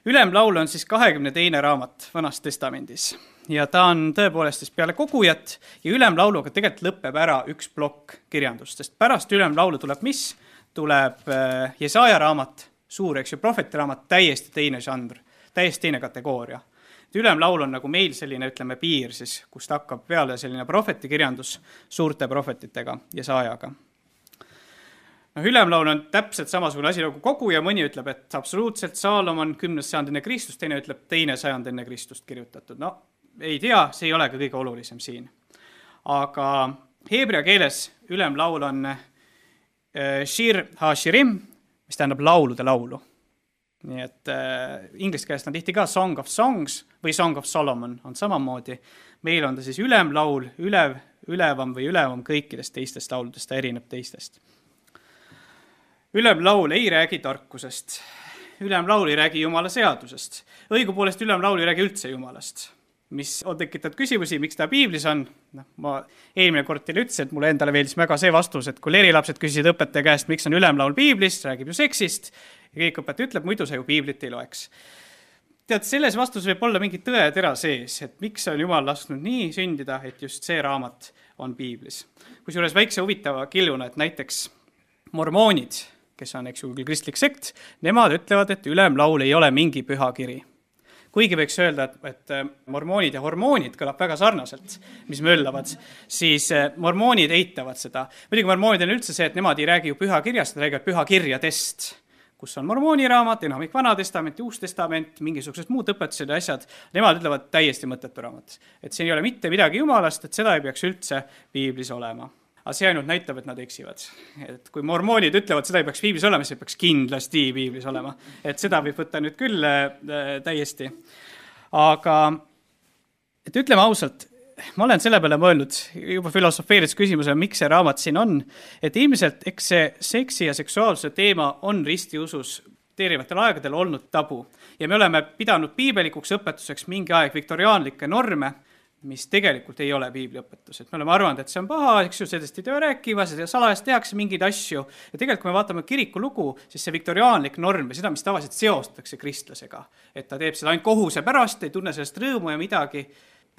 Ülemlaul on siis 22. raamat Vanas testamendis ja ta on tõepoolest siis peale kogujat ja ülemlauluga tegelikult lõpeb ära üks plokk kirjandust, sest pärast ülemlaulu tuleb mis? Tuleb Jesaja raamat, suur, eks ju, prohvetiraamat, täiesti teine žanr, täiesti teine kategooria. Ülemlaul on nagu meil selline, ütleme, piir siis, kust hakkab peale selline prohvetikirjandus suurte prohvetitega Jesajaga. Ülemlaul on täpselt samasugune asi nagu kogu ja mõni ütleb, et absoluutselt Saalomon 10. sajand enne Kristust, teine ütleb 2. sajand enne Kristust kirjutatud. No, ei tea, see ei ole ka kõige olulisem siin. Aga heebrea keeles ülemlaul on Shir ha-shirim, mis tähendab laulude laulu. Nii et inglise keeles on tihti ka Song of Songs või Song of Solomon on samamoodi. Meil on ta siis ülemlaul, ülevam kõikidest teistest lauludest, ta erineb teistest. Ülemlaul ei räägi tarkusest. Ülemlaul ei räägi Jumala seadusest. Õigupoolest ülemlaul ei räägi üldse Jumalast. Mis on tekitanud küsimusi, miks ta piiblis on. Ma eelmine kord teile ütlesin, et mulle endale veeldis väga see vastus, et kui lerilapsed küsisid õpetaja käest, miks on ülemlaul piiblis, räägib ju seksist, ja kõik õpetaja ütleb, muidu sa ju piiblit ei loeks. Tead, selles vastus võib olla mingi tõetera sees, et miks on Jumal lasknud nii sündida, et just see raamat on piiblis. Kusjuures väikse huvitava killuna, et näiteks mormoonid, kes on eks ju küll kristlik sekt, nemad ütlevad, et ülemlaul ei ole mingi püha kiri. Kuigi võiks öelda, et mormoonid ja hormoonid kõlab väga sarnaselt, mis möllavad, siis mormoonid eitavad seda. Muidugi mormoonid on üldse see, et nemad ei räägi ju pühakirjast, nad räägivad pühakirjadest, kus on mormooni raamat, enamik Vana Testament, Uus Testament, mingisugused muud õpetused ja asjad. Nemad ütlevad täiesti mõttetu raamat. Et see ei ole mitte midagi Jumalast, et seda ei peaks üldse piiblis olema. Aga see ainult näitab, et nad eksivad. Et kui mormoonid ütlevad, seda ei peaks piiblis olema, siis peaks kindlasti piiblis olema. Et seda võib võtta nüüd küll täiesti. Aga et ütleme ausalt, ma olen selle peale mõelnud juba filosofeerides küsimusele, miks see raamat siin on. Et ilmselt eks see seksi ja seksuaalsuse teema on ristiusus teerivatel aegadel olnud tabu. Ja me oleme pidanud piibelikuks õpetuseks mingi aeg viktoriaanlikke norme, mis tegelikult ei ole piibliõpetus. Et me oleme arvanud, et see on paha, eks ju, sellest ei tee rääkima, seda salajast tehakse mingeid asju. Ja tegelikult, kui me vaatame kiriku lugu, siis see viktoriaanlik norm ja seda, mis tavaliselt seostatakse kristlasega. Et ta teeb seda ainult kohuse pärast, ei tunne sellest rõõmu ja midagi.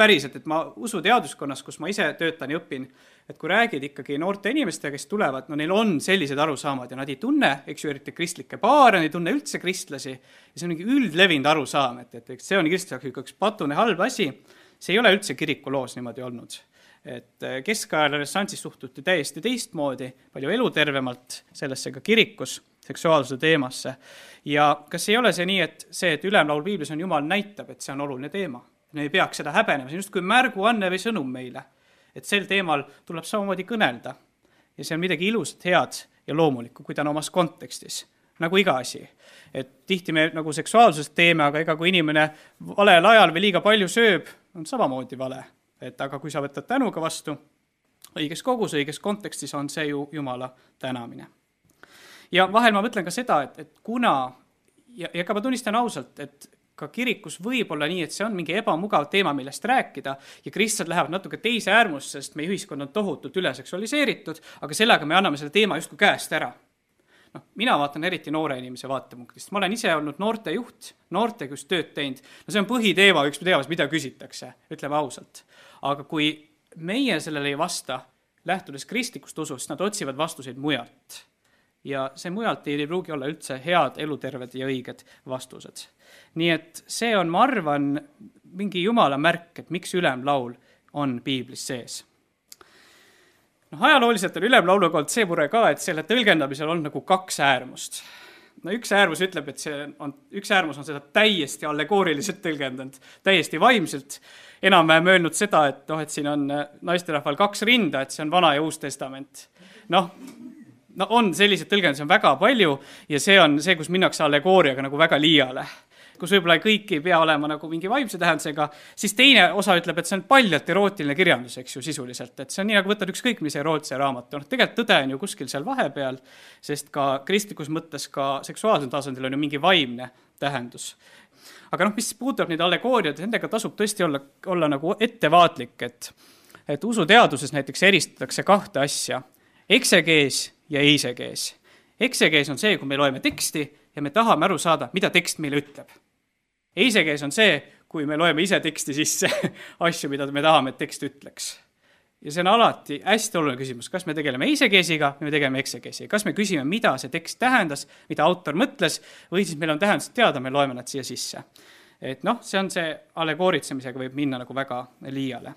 Päriselt, et ma usuteaduskonnas, kus ma ise töötan ja õpin, et kui räägid ikkagi noorte inimestega, kes tulevad, no neil on sellised arusaamad ja nad ei tunne, eks ju, eriti kristlikke paare, nad ei tunne üldse kristlasi. Ja see on mingi üldlevinud arusaam, et see on kristlase üks patune halb asi. See ei ole üldse kiriku loos niimoodi olnud. Et keskajal renessanssis suhtuti täiesti teistmoodi, palju elutervemalt sellesse ka kirikus, seksuaalsuse teemasse. Ja kas ei ole see nii, et ülemlaul piiblis on Jumal näitab, et see on oluline teema? Me ei peaks seda häbenema, see on just kui märguanne või sõnum meile. Et sel teemal tuleb samamoodi kõnelda. Ja see on midagi ilusat, head ja loomulikku, kui ta on omas kontekstis. Nagu iga asi. Et tihti me nagu seksuaalsust teeme, aga ega kui inimene valel ajal või liiga palju sööb, on samamoodi vale. Et aga kui sa võtad tänuga vastu, õiges kogus, õiges kontekstis on see ju Jumala tänamine. Ja vahel ma mõtlen ka seda, et kuna, ja ka ma tunnistan ausalt, et ka kirikus võib olla nii, et see on mingi ebamugav teema, millest rääkida ja kristlased lähevad natuke teise äärmusse, sest meie ühiskond on tohutult üleseksualiseeritud, aga sellega me anname selle teema justkui käest ära. No, mina vaatan eriti noore inimese vaatepunktist. Ma olen ise olnud noorte juht, noortega just tööd teinud. No see on põhiteema, üks teemas, mida küsitakse, ütleme ausalt. Aga kui meie sellele ei vasta, lähtudes kristlikust usust, nad otsivad vastuseid mujalt. Ja see mujalt ei pruugi olla üldse head, eluterved ja õiged vastused. Nii et see on, ma arvan, mingi Jumala märk, et miks ülemlaul on piiblis sees. Ajalooliselt on ülemlauluga olnud see mure ka, et selle tõlgendamisel on nagu kaks äärmust. No üks äärmus ütleb, et üks äärmus on seda täiesti allegooriliselt tõlgendanud, täiesti vaimselt. Enam-vähem öelnud seda, et siin on naisterahval 2 rinda, et see on Vana ja Uus Testament. No on sellised tõlgendusi on väga palju ja see on see, kus minnakse allegooriaga nagu väga liiale. Kus võib-olla kõik ei pea olema nagu mingi vaimse tähendusega, siis teine osa ütleb, et see on paljalt erootiline kirjandus, eks ju, sisuliselt. Et see on nii, nagu võtad ükskõik mis erootse raamatu. Tegelikult tõde on ju kuskil seal vahepeal, sest ka kristlikus mõttes ka seksuaalsel tasandil on ju mingi vaimne tähendus. Aga mis puudutab neid allegooriad, nendega tasub tõesti olla nagu ettevaatlik, et usuteaduses näiteks eristatakse 2 asja. Eksegees ja eisegees. Eksegees on see, kui me loeme teksti ja me tahame aru saada, mida tekst meile ütleb. Eisegees on see, kui me loeme ise teksti sisse asju, mida me tahame, et tekst ütleks. Ja see on alati hästi oluline küsimus, kas me tegeleme eisekeesiga või me tegeleme eksekeesiga. Kas me küsime, mida see tekst tähendas, mida autor mõtles, või siis meil on tähendused teada, me loeme nad siia sisse. Et see on see allegooritsemisega võib minna nagu väga liiale.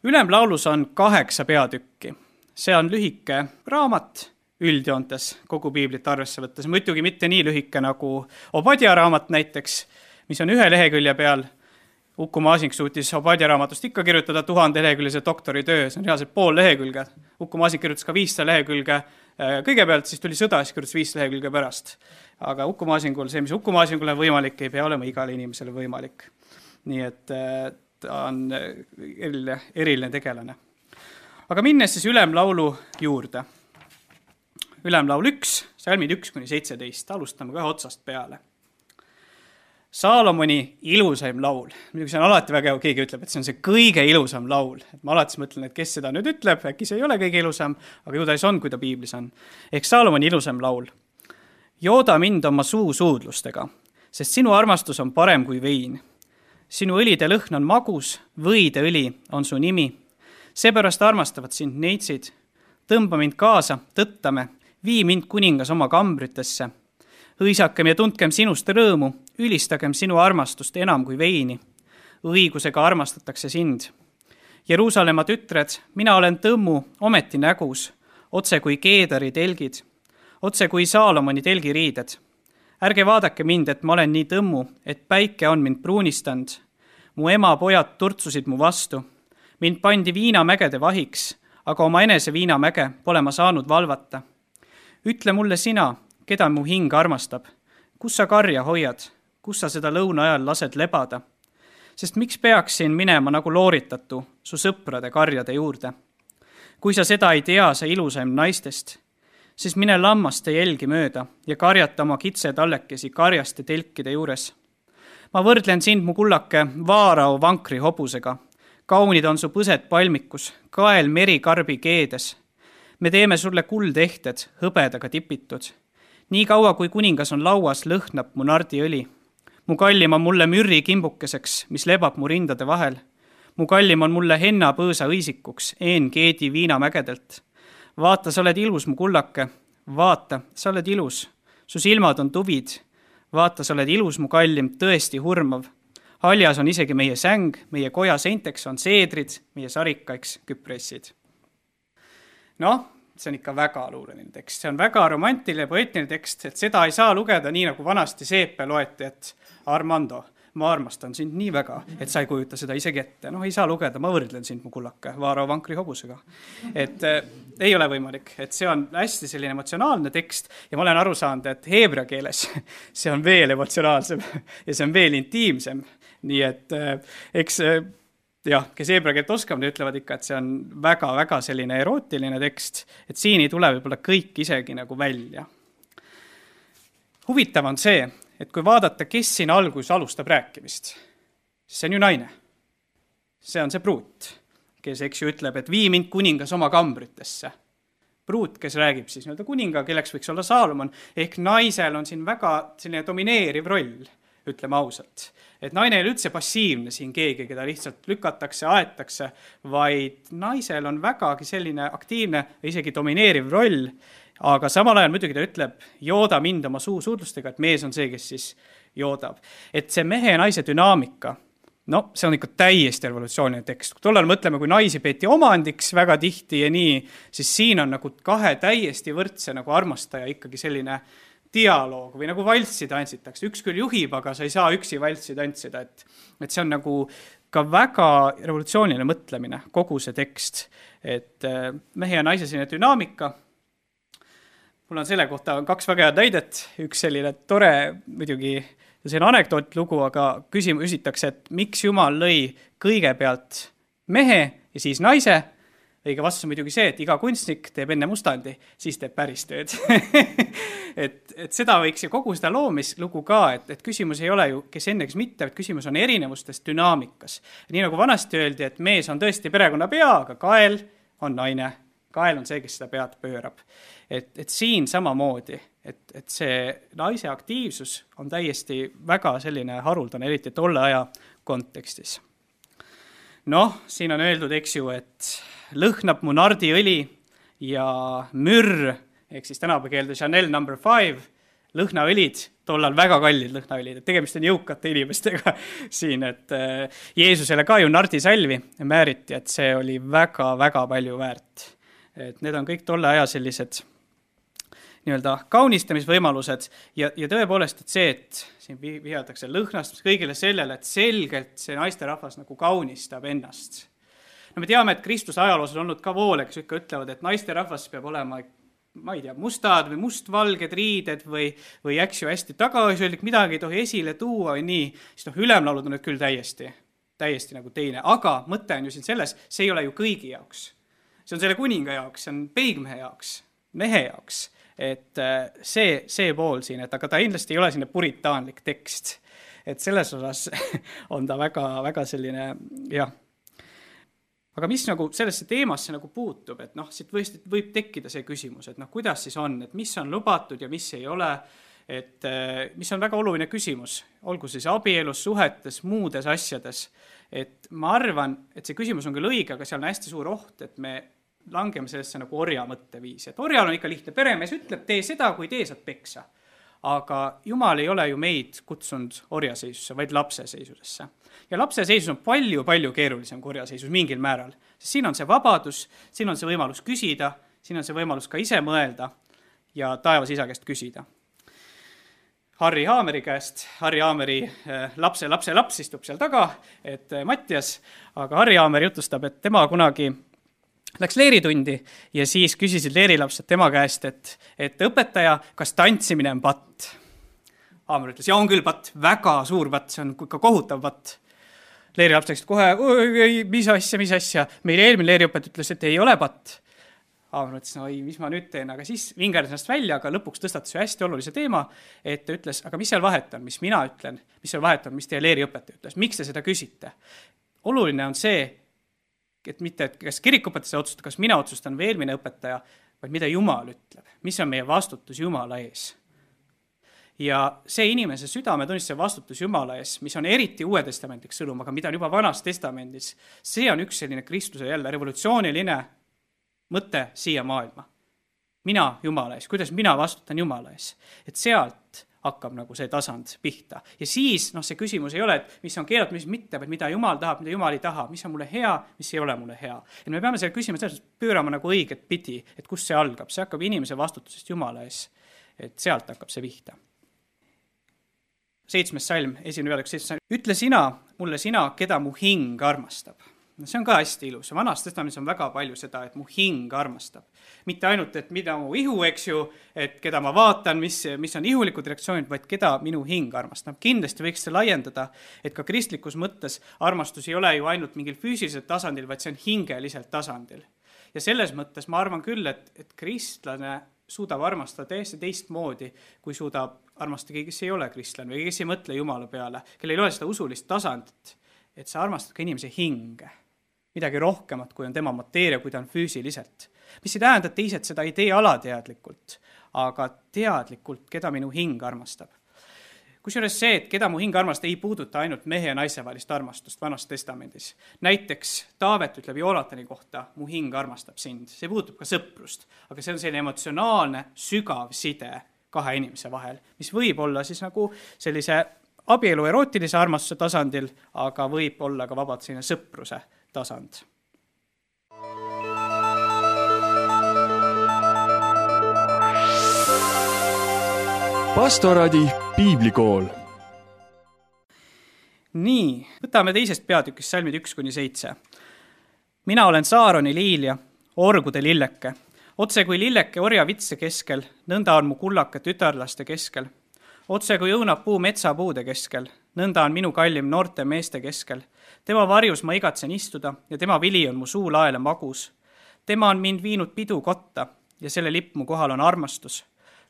Ülemlaulus on 8 peatükki. See on lühike raamat üldjoontes kogu piiblit arvesse võttes. Muidugi mitte nii lühike nagu Obadja raamat näiteks, mis on 1 lehekülje peal. Uku Maasing suutis Obadja raamatust ikka kirjutada 1000 leheküljese doktoritöö, see on reaalselt pool lehekülge. Uku Maasing kirjutas ka 500 lehekülge kõigepealt, siis tuli sõda, siis kirjutas 500 lehekülge pärast. Aga Uku Maasingul, see, mis Uku Maasingul on võimalik, ei pea olema igale inimesele võimalik. Nii et ta on eriline tegelane. Aga minnes siis ülemlaulu juurde. Ülemlaul 1, salmid 1-17, alustame kohe otsast peale. Saalomoni ilusaim laul. Muidugi see on alati väga hea, keegi ütleb, et see on see kõige ilusam laul. Et ma alati mõtlen, et kes seda nüüd ütleb, äkki see ei ole kõige ilusam, aga ju ta on, kui ta piiblis on. Ehk Saalomoni ilusaim laul. Jooda mind oma suudlustega, sest sinu armastus on parem kui vein. Sinu õlide lõhn on magus, võide õli on su nimi. Seepärast armastavad sind neitsid. Tõmba mind kaasa, tõttame, vii mind kuningas oma kambritesse. Hõisakem ja tundkem sinust rõõmu, ülistagem sinu armastust enam kui veini. Õigusega armastatakse sind. Jeruusalemma tütred, mina olen tõmmu, ometi nägus, otse kui Keedari telgid, otse kui Saalomoni telgiriided. Ärge vaadake mind, et ma olen nii tõmmu, et päike on mind pruunistand. Mu ema pojad turtsusid mu vastu. Mind pandi viinamägede vahiks, aga oma enese viinamäge pole ma saanud valvata. Ütle mulle sina, keda mu hing armastab. Kus sa karja hoiad? Kus sa seda lõuna ajal lased lebada? Sest miks peaksin minema nagu looritatu su sõprade karjade juurde? Kui sa seda ei tea, sa ilusaim naistest, siis mine lammaste jälgi mööda ja karjata oma kitsetallekesi karjaste telkide juures. Ma võrdlen sind, mu kullake, vaarao vankri hobusega. Kaunid on su põsed palmikus, kael merikarbi keedes. Me teeme sulle kuldehted, hõbedaga tipitud. Nii kaua, kui kuningas on lauas, lõhnab mu nardiõli. Mu kallim on mulle mürri kimbukeseks, mis lebab mu rindade vahel. Mu kallim on mulle henna põõsa õisikuks, keedi viinamägedelt. Vaata, sa oled ilus, mu kullake. Vaata, sa oled ilus. Su silmad on tuvid. Vaata, sa oled ilus, mu kallim, tõesti hurmav. Haljas on isegi meie säng, meie koja seinteks on seedrid, meie sarikaiks küpressid. See on ikka väga luuleline tekst. See on väga romantiline, poeetiline tekst, et seda ei saa lugeda nii, nagu vanasti Seepe loeti, et Armando, ma armastan sind nii väga, et sa ei kujuta seda isegi ette. Ei saa lugeda, ma võrdlen sind, mu kullake, vaarao vankri hobusega. Et ei ole võimalik, et see on hästi selline emotsionaalne tekst ja ma olen aru saanud, et heebrea keeles see on veel emotsionaalsem ja see on veel intiimsem. Nii et eks kes heebrea keelt oskab, need ütlevad ikka, et see on väga-väga selline erootiline tekst, et siin ei tule võib-olla kõik isegi nagu välja. Huvitav on see, et kui vaadata, kes siin algus alustab rääkimist, siis see on ju naine. See on see pruut, kes ütleb, et vii mind kuningas oma kambritesse. Pruut, kes räägib siis kuninga, kelleks võiks olla Saalomon, ehk naisel on siin väga selline domineeriv roll, ütleme ausalt. Et naine ei ole üldse passiivne siin keegi, keda lihtsalt lükatakse, aetakse, vaid naisel on vägagi selline aktiivne, isegi domineeriv roll, aga samal ajal muidugi ta ütleb, jooda mind oma suudlustega, et mees on see, kes siis joodab. Et see mehe ja naise dünaamika, see on ikka täiesti revolutsiooniline tekst. Tollal mõtleme, kui naisi peeti omandiks väga tihti ja nii, siis siin on nagu 2 täiesti võrdse nagu armastaja ikkagi selline dialoog või nagu valssi tantsitakse. Üks küll juhib, aga sa ei saa üksi valssi tantsida. Et see on nagu ka väga revolutsiooniline mõtlemine, kogu see tekst. Et mehe ja naise selline dünaamika. Mul on selle kohta 2 väga head näidet. Üks selline tore, muidugi see on anekdootlugu, aga küsitakse, et miks Jumal lõi kõigepealt mehe ja siis naise. Õige vastus on muidugi see, et iga kunstnik teeb enne mustandi, siis teeb päris tööd. et seda võiks ju kogu seda loomislugu ka, et küsimus ei ole ju, kes enne, kes mitte, et küsimus on erinevustes dünaamikas. Nii nagu vanasti öeldi, et mees on tõesti perekonna pea, aga kael on naine kael on see, kes seda pead pöörab. Et siin samamoodi, et see naise aktiivsus on täiesti väga selline haruldane, eriti tolle aja kontekstis. Siin on öeldud, eks ju, et lõhnab mu nardiõli ja mürr, ehk siis tänapäevakeelde Chanel No. 5, lõhnaõlid, tollal väga kallid lõhnaõlid, et tegemist on jõukate inimestega siin, et Jeesusele ka ju nardisalvi määriti, et see oli väga-väga palju väärt. Et need on kõik tolle aja sellised nii-öelda kaunistamisvõimalused ja tõepoolest, et see, et siin vihatakse lõhnast kõigile sellele, et selgelt see naisterahvas nagu kaunistab ennast. Me teame, et Kristuse ajaloos on olnud ka voole, kes ikka ütlevad, et naisterahvas peab olema, ma ei tea, mustad või mustvalged riided või eks ju hästi tagasihoidlik, midagi ei tohi esile tuua või nii, siis ülemlaulud on nüüd küll täiesti nagu teine, aga mõte on ju siin selles, see ei ole ju kõigi jaoks. See on selle kuninga jaoks, see on peigmehe jaoks, mehe jaoks, et see pool siin, et aga ta kindlasti ei ole selline puritaanlik tekst, et selles osas on ta väga selline, jah. Aga mis nagu sellesse teemasse nagu puutub, et siit võib tekkida see küsimus, et kuidas siis on, et mis on lubatud ja mis ei ole, et mis on väga oluline küsimus, olgu siis abielus, suhetes, muudes asjades, et ma arvan, et see küsimus on küll õige, aga seal on hästi suur oht, et me langeme sellesse nagu orja mõtteviisi, et orjal on ikka lihtne, peremees ütleb, tee seda, kui tee saad peksa. Aga Jumal ei ole ju meid kutsunud orjaseisusse, vaid lapseseisusesse. Ja lapseseisus on palju keerulisem kui orjaseisus mingil määral. Sest siin on see vabadus, siin on see võimalus küsida, siin on see võimalus ka ise mõelda ja taevas isa käest küsida. Harri Haameri käest, Harri Haameri laps istub seal taga, et Mattias, aga Harri Haamer jutustab, et tema kunagi läks leeritundi ja siis küsisid leerilapsed tema käest, et õpetaja, kas tantsimine on patt? Haamer ütles, ja on küll patt, väga suur patt, see on ikka kohutav patt. Leerilaps läks kohe, mis asja, meil eelmine leeriõpet ütles, et ei ole patt. Haamer ütles, mis ma nüüd teen, aga siis vingerdas ennast välja, aga lõpuks tõstatas ju hästi olulise teema, et ta ütles, aga mis seal vahet on, mis mina ütlen, mis seal vahet on, mis teie leeriõpetaja ütles, miks te seda küsite? Oluline on see, et mitte, et kas kirikupõtaja otsustab, kas mina otsustan või eelmine õpetaja, vaid mida Jumal ütleb, mis on meie vastutus Jumala ees. Ja see inimese südametunnistuse vastutus Jumala ees, mis on eriti Uue Testamendiks sõnum, aga mida on juba Vanas Testamendis, see on üks selline Kristuse jälle revolutsiooniline mõte siia maailma. Mina Jumala ees, kuidas mina vastutan Jumala ees, et sealt hakkab nagu see tasand pihta. Ja siis see küsimus ei ole, et mis on keelatud, mis mitte, vaid mida Jumal tahab, mida Jumal ei taha, mis on mulle hea, mis ei ole mulle hea. Et me peame selle küsima selles pöörama nagu õiget pidi, et kus see algab. See hakkab inimese vastutusest Jumala ees, et sealt hakkab see pihta. 7. salm, 1. peatükk 7. salm. Ütle mulle sina, keda mu hing armastab. See on ka hästi ilus. Vanas Testamendis on väga palju seda, et mu hing armastab. Mitte ainult, et mida mu ihu, eks ju, et keda ma vaatan, mis on ihulikud reaktsioonid, vaid keda minu hing armastab. Kindlasti võiks see laiendada, et ka kristlikus mõttes armastus ei ole ju ainult mingil füüsilisel tasandil, vaid see on hingeliselt tasandil. Ja selles mõttes ma arvan küll, et kristlane suudab armastada täiesti teistmoodi, kui suudab armastada keegi, kes ei ole kristlane või kes ei mõtle Jumala peale, kellel ei ole seda usulist tasandit, et sa armastad ka inimese hinge. Midagi rohkemat, kui on tema mateeria, kui ta on füüsiliselt. Mis ei tähenda, et teised seda ei tee alateadlikult, aga teadlikult, keda minu hing armastab. Kusjuures see, et keda mu hing armastab, ei puuduta ainult mehe ja naise vahelist armastust Vanas Testamendis. Näiteks Taavet ütleb Joonatani kohta, mu hing armastab sind. See puutub ka sõprust, aga see on selline emotsionaalne, sügav side kahe inimese vahel, mis võib olla siis nagu sellise abielu erootilise armastuse tasandil, aga võib olla ka vabalt selline sõpruse tasand. Pastoradi piiblikool. Nii, võtame teisest peatükist salmid 1-7. Mina olen Saaroni liilja, orgude lilleke. Otse kui lilleke orja vitse keskel, nõnda on mu kullake tütarlaste keskel. Otse kui õunab puu metsapuude keskel, nõnda on minu kallim noorte meeste keskel. Tema varjus ma igatsen istuda ja tema vili on mu suu laele magus. Tema on mind viinud pidu kotta ja selle lipp mu kohal on armastus.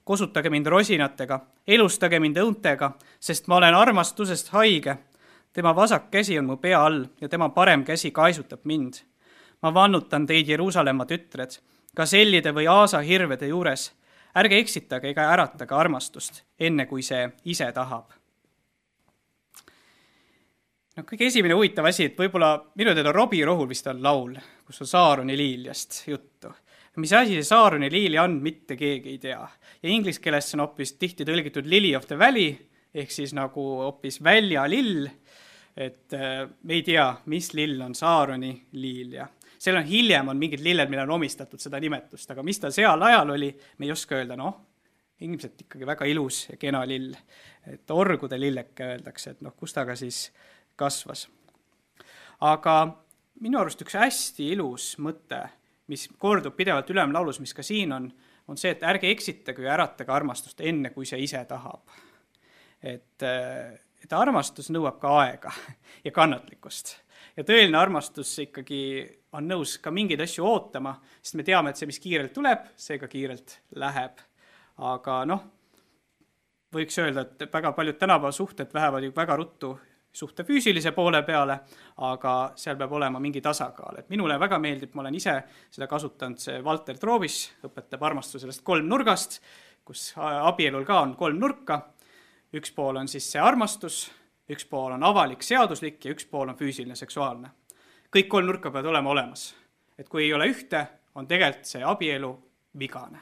Kosutage mind rosinatega, elustage mind õuntega, sest ma olen armastusest haige. Tema vasak käsi on mu pea all ja tema parem käsi kaisutab mind. Ma vannutan teid Jeruusalemma tütred. gasellide või aasahirvede juures. Ärge eksitage ega äratage armastust, enne kui see ise tahab. No, kõige esimene huvitav asi, et võib-olla minu teada Robbie Rohul vist on laul, kus on Saaroni liiljast juttu. Mis asi see Saaroni liilja on, mitte keegi ei tea. Ja inglise keeles on hoopis tihti tõlgitud Lily of the Valley, ehk siis nagu hoopis väljalill, et me ei tea, mis lill on Saaroni liilja. Seal on hiljem on mingid lilled, mille on omistatud seda nimetust, aga mis ta seal ajal oli, me ei oska öelda, ilmselt ikkagi väga ilus ja kena lill. Et orgude lilleke öeldakse, et kus ta ka siis kasvas. Aga minu arust üks hästi ilus mõte, mis kordub pidevalt ülemlaulus, mis ka siin on see, et ärge eksitage ja äratage armastust enne, kui see ise tahab. Et armastus nõuab ka aega ja kannatlikkust. Ja tõeline armastus ikkagi on nõus ka mingeid asju ootama, sest me teame, et see, mis kiirelt tuleb, see ka kiirelt läheb. Aga võiks öelda, et väga paljud tänapäeva suhted lähevad ju väga ruttu suhte füüsilise poole peale, aga seal peab olema mingi tasakaal. Et minule väga meeldib, ma olen ise seda kasutanud, see Walter Troobis õpetab armastusest 3 nurgast, kus abielul ka on 3 nurka. Üks pool on siis see armastus, üks pool on avalik seaduslik ja üks pool on füüsiline seksuaalne. Kõik 3 nurka peavad olema olemas. Et kui ei ole ühte, on tegelikult see abielu vigane.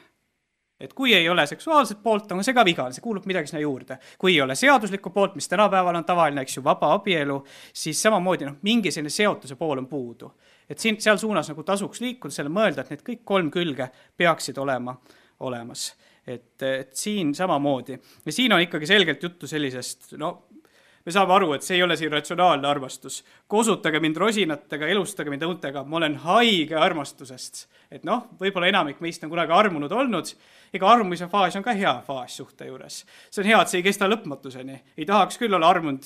Et kui ei ole seksuaalset poolt, on see ka vigane, see kuulub midagi sinna juurde. Kui ei ole seaduslikku poolt, mis tänapäeval on tavaline, eks ju, vaba abielu, siis samamoodi mingi selline seotuse pool on puudu. Et seal suunas tasuks liikuda, selle mõelda, et need kõik 3 külge peaksid olema olemas. Et siin samamoodi. Ja siin on ikkagi selgelt juttu sellisest, me saame aru, et see ei ole siin ratsionaalne armastus. Kosutage mind rosinatega, elustage mind õuntega, ma olen haige armastusest. Et võib-olla enamik meist on kunagi armunud olnud, ega armumise faas on ka hea faas suhte juures. See on hea, et see ei kesta lõpmatuseni. Ei tahaks küll olla armunud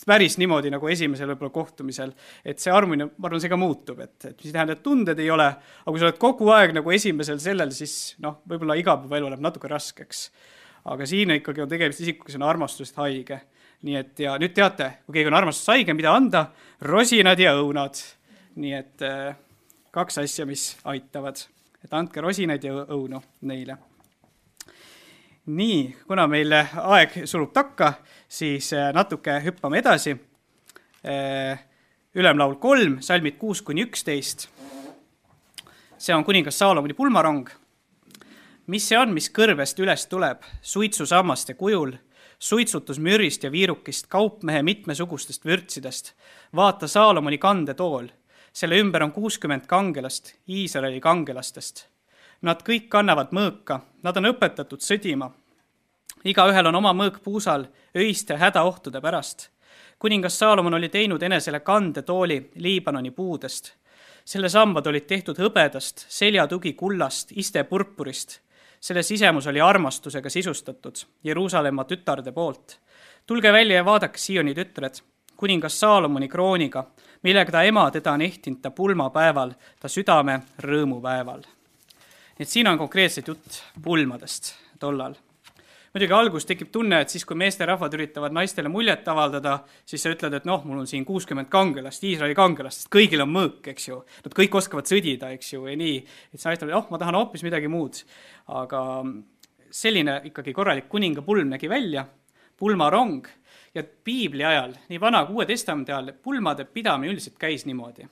päris niimoodi nagu esimesel võib-olla kohtumisel, et see armumine, ma arvan, see ka muutub, et mis tähendab, et tunded ei ole, aga kui sa oled kogu aeg nagu esimesel sellel, siis võib-olla igapäeva elu läheb natuke raskeks. Aga siin ikkagi on tegemist isiku, kes on armastusest haige. Nii et ja nüüd teate, kui keegi on armastus haige, mida anda, rosinad ja õunad. Nii et 2 asja, mis aitavad. Et andke rosinaid ja õunu neile. Nii, kuna meil aeg sulub takka, siis natuke hüppame edasi. Ülemlaul 3, salmid 6-11. See on kuningas Saalomoni pulmarong. Mis see on, mis kõrvest üles tuleb, suitsusammaste kujul, suitsutus mürist ja viirukist, kaupmehe mitmesugustest vürtsidest. Vaata Saalomoni kandetool. Selle ümber on 60 kangelast, Iisraeli kangelastest. Nad kõik kannavad mõõka, nad on õpetatud sõdima. Igaühel on oma mõõk puusal, öiste hädaohtude pärast. Kuningas Saalomon oli teinud enesele kandetooli Liibanoni puudest. Selle sambad olid tehtud hõbedast, seljatugi kullast, iste purpurist. Selle sisemus oli armastusega sisustatud Jeruusalemma tütarde poolt. Tulge välja ja vaadake Sioni tütred, kuningas Saalomoni krooniga, millega ta ema teda on ehtinud ta pulmapäeval, ta südame rõõmupäeval. Nii et siin on konkreetselt jutt pulmadest tollal. Muidugi algus tekib tunne, et siis kui meesterahvad üritavad naistele muljet avaldada, siis sa ütled, et mul on siin 60 kangelast, Iisraeli kangelast, sest kõigil on mõõk, eks ju. Nad kõik oskavad sõdida, eks ju, ja nii. Et sa naistel, ma tahan hoopis midagi muud. Aga selline ikkagi korralik kuninga pulm nägi välja, pulmarong. Ja piibli ajal, nii vana kui Uue Testamendi ajal, pulmade pidamine üldiselt käis niimoodi.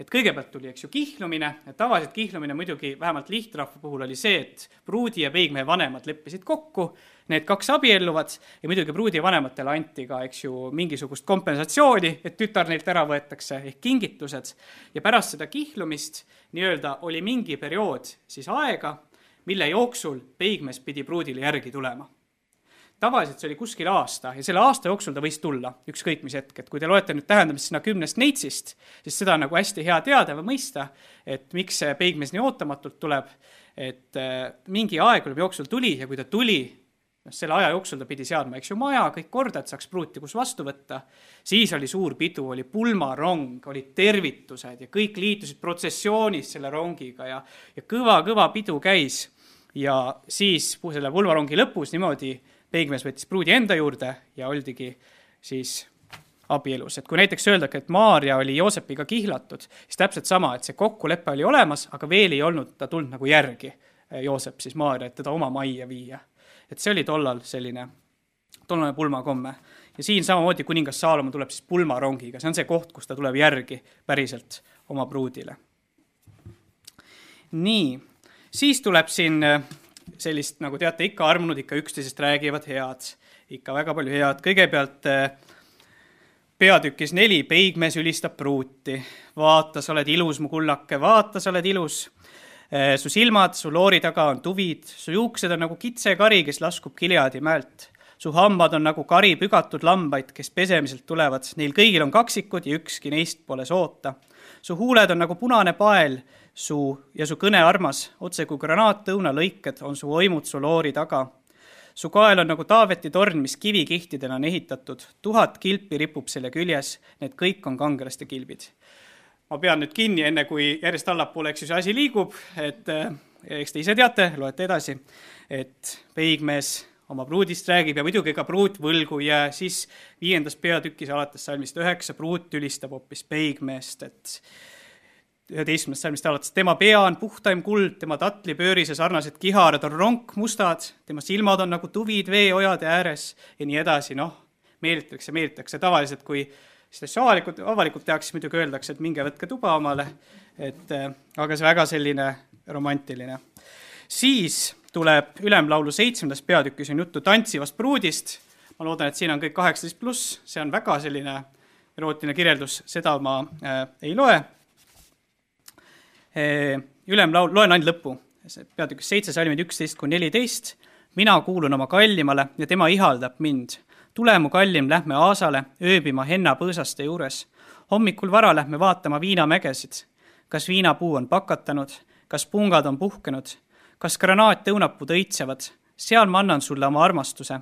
Et kõigepealt tuli, eks ju, kihlumine, et tavaliselt kihlumine muidugi vähemalt lihtrahva puhul oli see, et pruudi ja peigmehe vanemad leppisid kokku, need 2 abielluvad ja muidugi pruudi vanematele anti ka, eks ju, mingisugust kompensatsiooni, et tütar neilt ära võetakse ehk kingitused. Ja pärast seda kihlumist nii-öelda oli mingi periood siis aega, mille jooksul peigmees pidi pruudile järgi tulema. Tavaliselt see oli kuskil aasta ja selle aasta jooksul ta võis tulla ükskõik mis hetk. Et kui te loete nüüd tähendamist sinna 10 neitsist, siis seda on nagu hästi hea teada või mõista, et miks see peigmees nii ootamatult tuleb. Et mingi aeg jooksul tuli ja kui ta tuli, selle aja jooksul ta pidi seadma, eks ju, maja, kõik korda, et saaks pruuti kus vastu võtta. Siis oli suur pidu, oli pulmarong, oli tervitused ja kõik liitusid protsessioonis selle rongiga ja kõva pidu käis. Ja siis selle pulmarongi lõpus niimoodi peigmees võttis pruudi enda juurde ja oldigi siis abielus. Et kui näiteks öeldagi, et Maarja oli Joosepiga kihlatud, siis täpselt sama, et see kokkulepe oli olemas, aga veel ei olnud ta tulnud nagu järgi, Joosep siis Maarja, et teda oma majja viia. Et see oli tollane pulmakomme. Ja siin samamoodi kuningas Saalomon tuleb siis pulmarongiga. See on see koht, kus ta tuleb järgi päriselt oma pruudile. Nii, siis tuleb siin sellist, nagu teate, ikka armunud, ikka üksteisest räägivad head. Ikka väga palju head. Kõigepealt peatükis 4 peigmees ülistab pruuti. Vaata, sa oled ilus, mu kullake, vaata, sa oled ilus. Su silmad, su loori taga on tuvid, su juuksed on nagu kitsekari, kes laskub Gileadi mäelt. Su hambad on nagu kari pügatud lambaid, kes pesemiselt tulevad. Neil kõigil on kaksikud ja ükski neist pole soota. Su huuled on nagu punane pael ja su kõne armas, otse kui granaattõuna lõiked on su oimud su loori taga. Su kael on nagu Taaveti torn, mis kivikihtidena on ehitatud. 1000 kilpi ripub selle küljes, need kõik on kangelaste kilbid. Ma pean nüüd kinni, enne kui järjest allapoole, eks see asi liigub, et eks te ise teate, loete edasi, et peigmees oma pruudist räägib ja muidugi ka pruut võlgu ja siis 5. peatükis alates salmist 9 pruut ülistab hoopis peigmeest, et 11. salmist alates tema pea on puhtaim kuld, tema tatlipöörise sarnased kiharad on ronkmustad, tema silmad on nagu tuvid veeojade ääres ja nii edasi, meelitatakse. Tavaliselt, kui seda avalikult tehakse, siis muidugi öeldakse, et minge võtke tuba omale, aga see väga selline romantiline. Siis tuleb Ülemlaulu 7. peatükis on juttu tantsivast pruudist. Ma loodan, et siin on kõik 18+, see on väga selline erootiline kirjeldus, seda ma ei loe. Ülemlaul, loen ainult lõppu, peatükis 7 salmid 11-14. Mina kuulun oma kallimale ja tema ihaldab mind. Tule mu kallim, lähme aasale, ööbima henna põõsaste juures. Hommikul vara lähme vaatama viinamägesid. Kas viinapuu on pakatanud, kas pungad on puhkenud, kas granaattõunapuud õitsevad, seal ma annan sulle oma armastuse.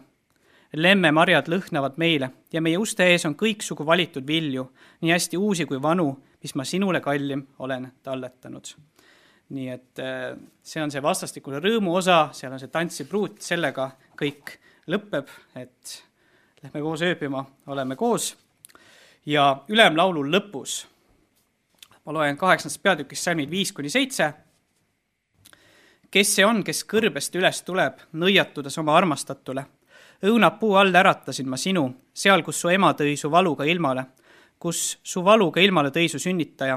Lemmemarjad lõhnavad meile ja meie uste ees on kõiksugu valitud vilju, nii hästi uusi kui vanu, mis ma sinule kallim olen talletanud. Nii et see on see vastastikule rõõmu osa, seal on see tantsipruut, sellega kõik lõpeb, et lähme koos ööbima, oleme koos. Ja Ülemlaulu lõpus, ma loen 8. peatükis salmid 5-7, kes see on, kes kõrbest üles tuleb, nõiatudes oma armastatule. Õunapuu all äratasin ma sinu, seal, kus su ema tõi su valuga ilmale, kus su valuga ilmale tõi su sünnitaja.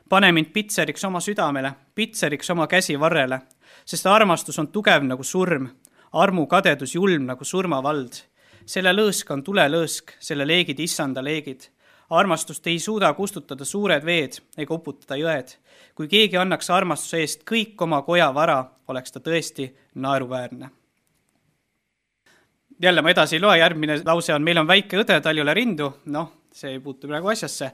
Pane mind pitseriks oma südamele, pitseriks oma käsi varrele, sest armastus on tugev nagu surm, armu kadedus julm nagu surmavald. Selle lõõsk on tulelõõsk, selle leegid issanda leegid. Armastust ei suuda kustutada suured veed ega uputada jõed. Kui keegi annaks armastuse eest kõik oma koja vara, oleks ta tõesti naeruväärne. Jälle ma edasi ei loe, järgmine lause on, meil on väike õde, tal ei ole rindu. See ei puutu praegu asjasse.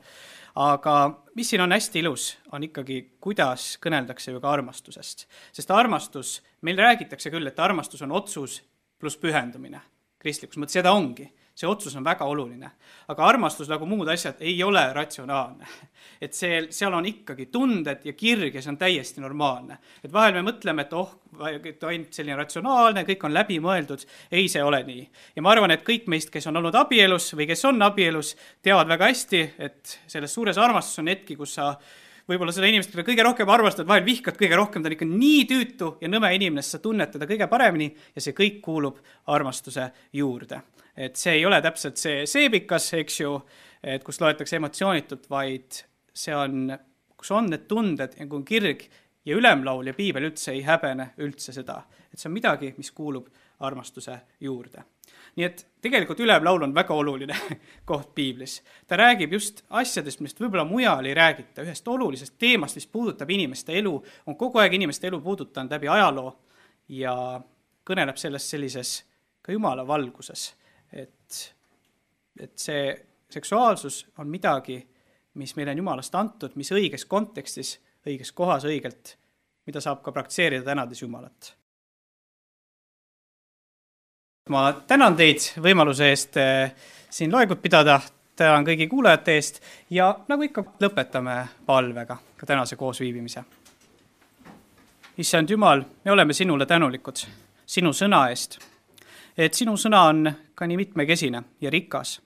Aga mis siin on hästi ilus, on ikkagi, kuidas kõneldakse ju ka armastusest. Sest armastus, meil räägitakse küll, et armastus on otsus pluss pühendumine. Kristlikus mõttes seda ongi. See otsus on väga oluline. Aga armastus nagu muud asjad ei ole ratsionaalne. Et seal on ikkagi tunded ja kirg ja see on täiesti normaalne. Et vahel me mõtleme, et ainult selline ratsionaalne, kõik on läbi mõeldud. Ei, see ole nii. Ja ma arvan, et kõik meist, kes on olnud abielus või kes on abielus, teavad väga hästi, et selles suures armastus on hetki, kus sa võib-olla seda inimest, keda kõige rohkem armastad, vahel vihkad kõige rohkem, ta on ikka nii tüütu ja nõme inimene, sa tunned teda kõige paremini ja see kõik kuulub armastuse juurde. Et see ei ole täpselt see seebikas, eks ju, et kus loetakse emotsioonitult, vaid see on, kus on need tunded ja kui on kirg ja Ülemlaul ja piibel üldse ei häbene üldse seda. Et see on midagi, mis kuulub armastuse juurde. Nii et tegelikult Ülemlaul on väga oluline koht piiblis. Ta räägib just asjadest, millest võib-olla mujal ei räägita, ühest olulisest teemast, mis puudutab inimeste elu, on kogu aeg inimeste elu puudutanud läbi ajaloo ja kõneleb sellest sellises ka Jumala valguses. Et see seksuaalsus on midagi, mis meile on Jumalast antud, mis õiges kontekstis, õiges kohas õigelt, mida saab ka praktseerida tänades Jumalat. Ma tänan teid võimaluse eest siin loengut pidada, tänan kõigi kuulajate eest ja nagu ikka lõpetame palvega ka tänase koosviibimise. Issand Jumal, me oleme sinule tänulikud sinu sõna eest, et sinu sõna on ka nii mitmekesine ja rikas.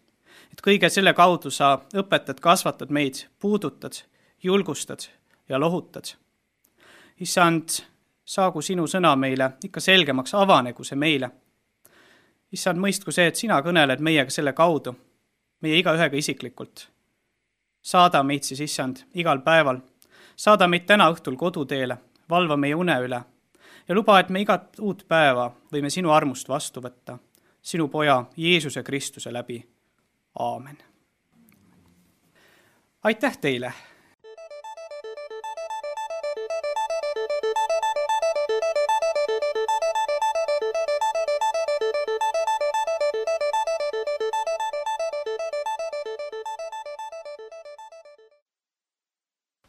et kõige selle kaudu sa õpetad, kasvatad meid, puudutad, julgustad ja lohutad. Issand, saagu sinu sõna meile ikka selgemaks, avanegu see meile. Issand, mõistku see, et sina kõneled meiega selle kaudu, meie igaühega isiklikult. Saada meid siis, Issand, igal päeval. Saada meid täna õhtul koduteele, valva meie une üle ja luba, et me igat uut päeva võime sinu armust vastu võtta, sinu poja Jeesuse Kristuse läbi. Aamen. Aitäh teile!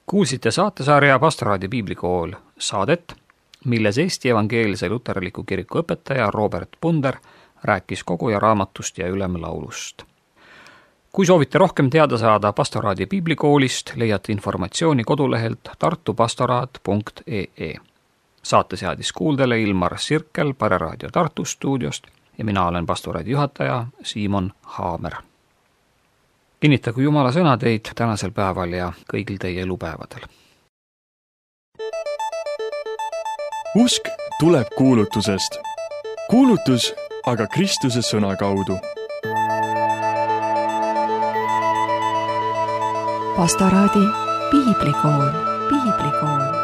Kuulsite saatesarja Pastoraadi piiblikool saadet, milles Eesti Evangeelse Luterliku Kiriku õpetaja Robert Punder rääkis koguja raamatust ja ülemlaulust. Kui soovite rohkem teada saada Pastoraadi piiblikoolist, leiate informatsiooni kodulehelt tartupastoraat.ee. Saate seadis kuuldele Ilmar Sirkel Pareraadio Tartu stuudiost ja mina olen Pastoraadi juhataja Siimon Haamer. Kinnitagu Jumala sõna teid tänasel päeval ja kõigil teie elupäevadel. Usk tuleb kuulutusest. Kuulutus aga Kristuse sõna kaudu. Pastoraadi piiblikool.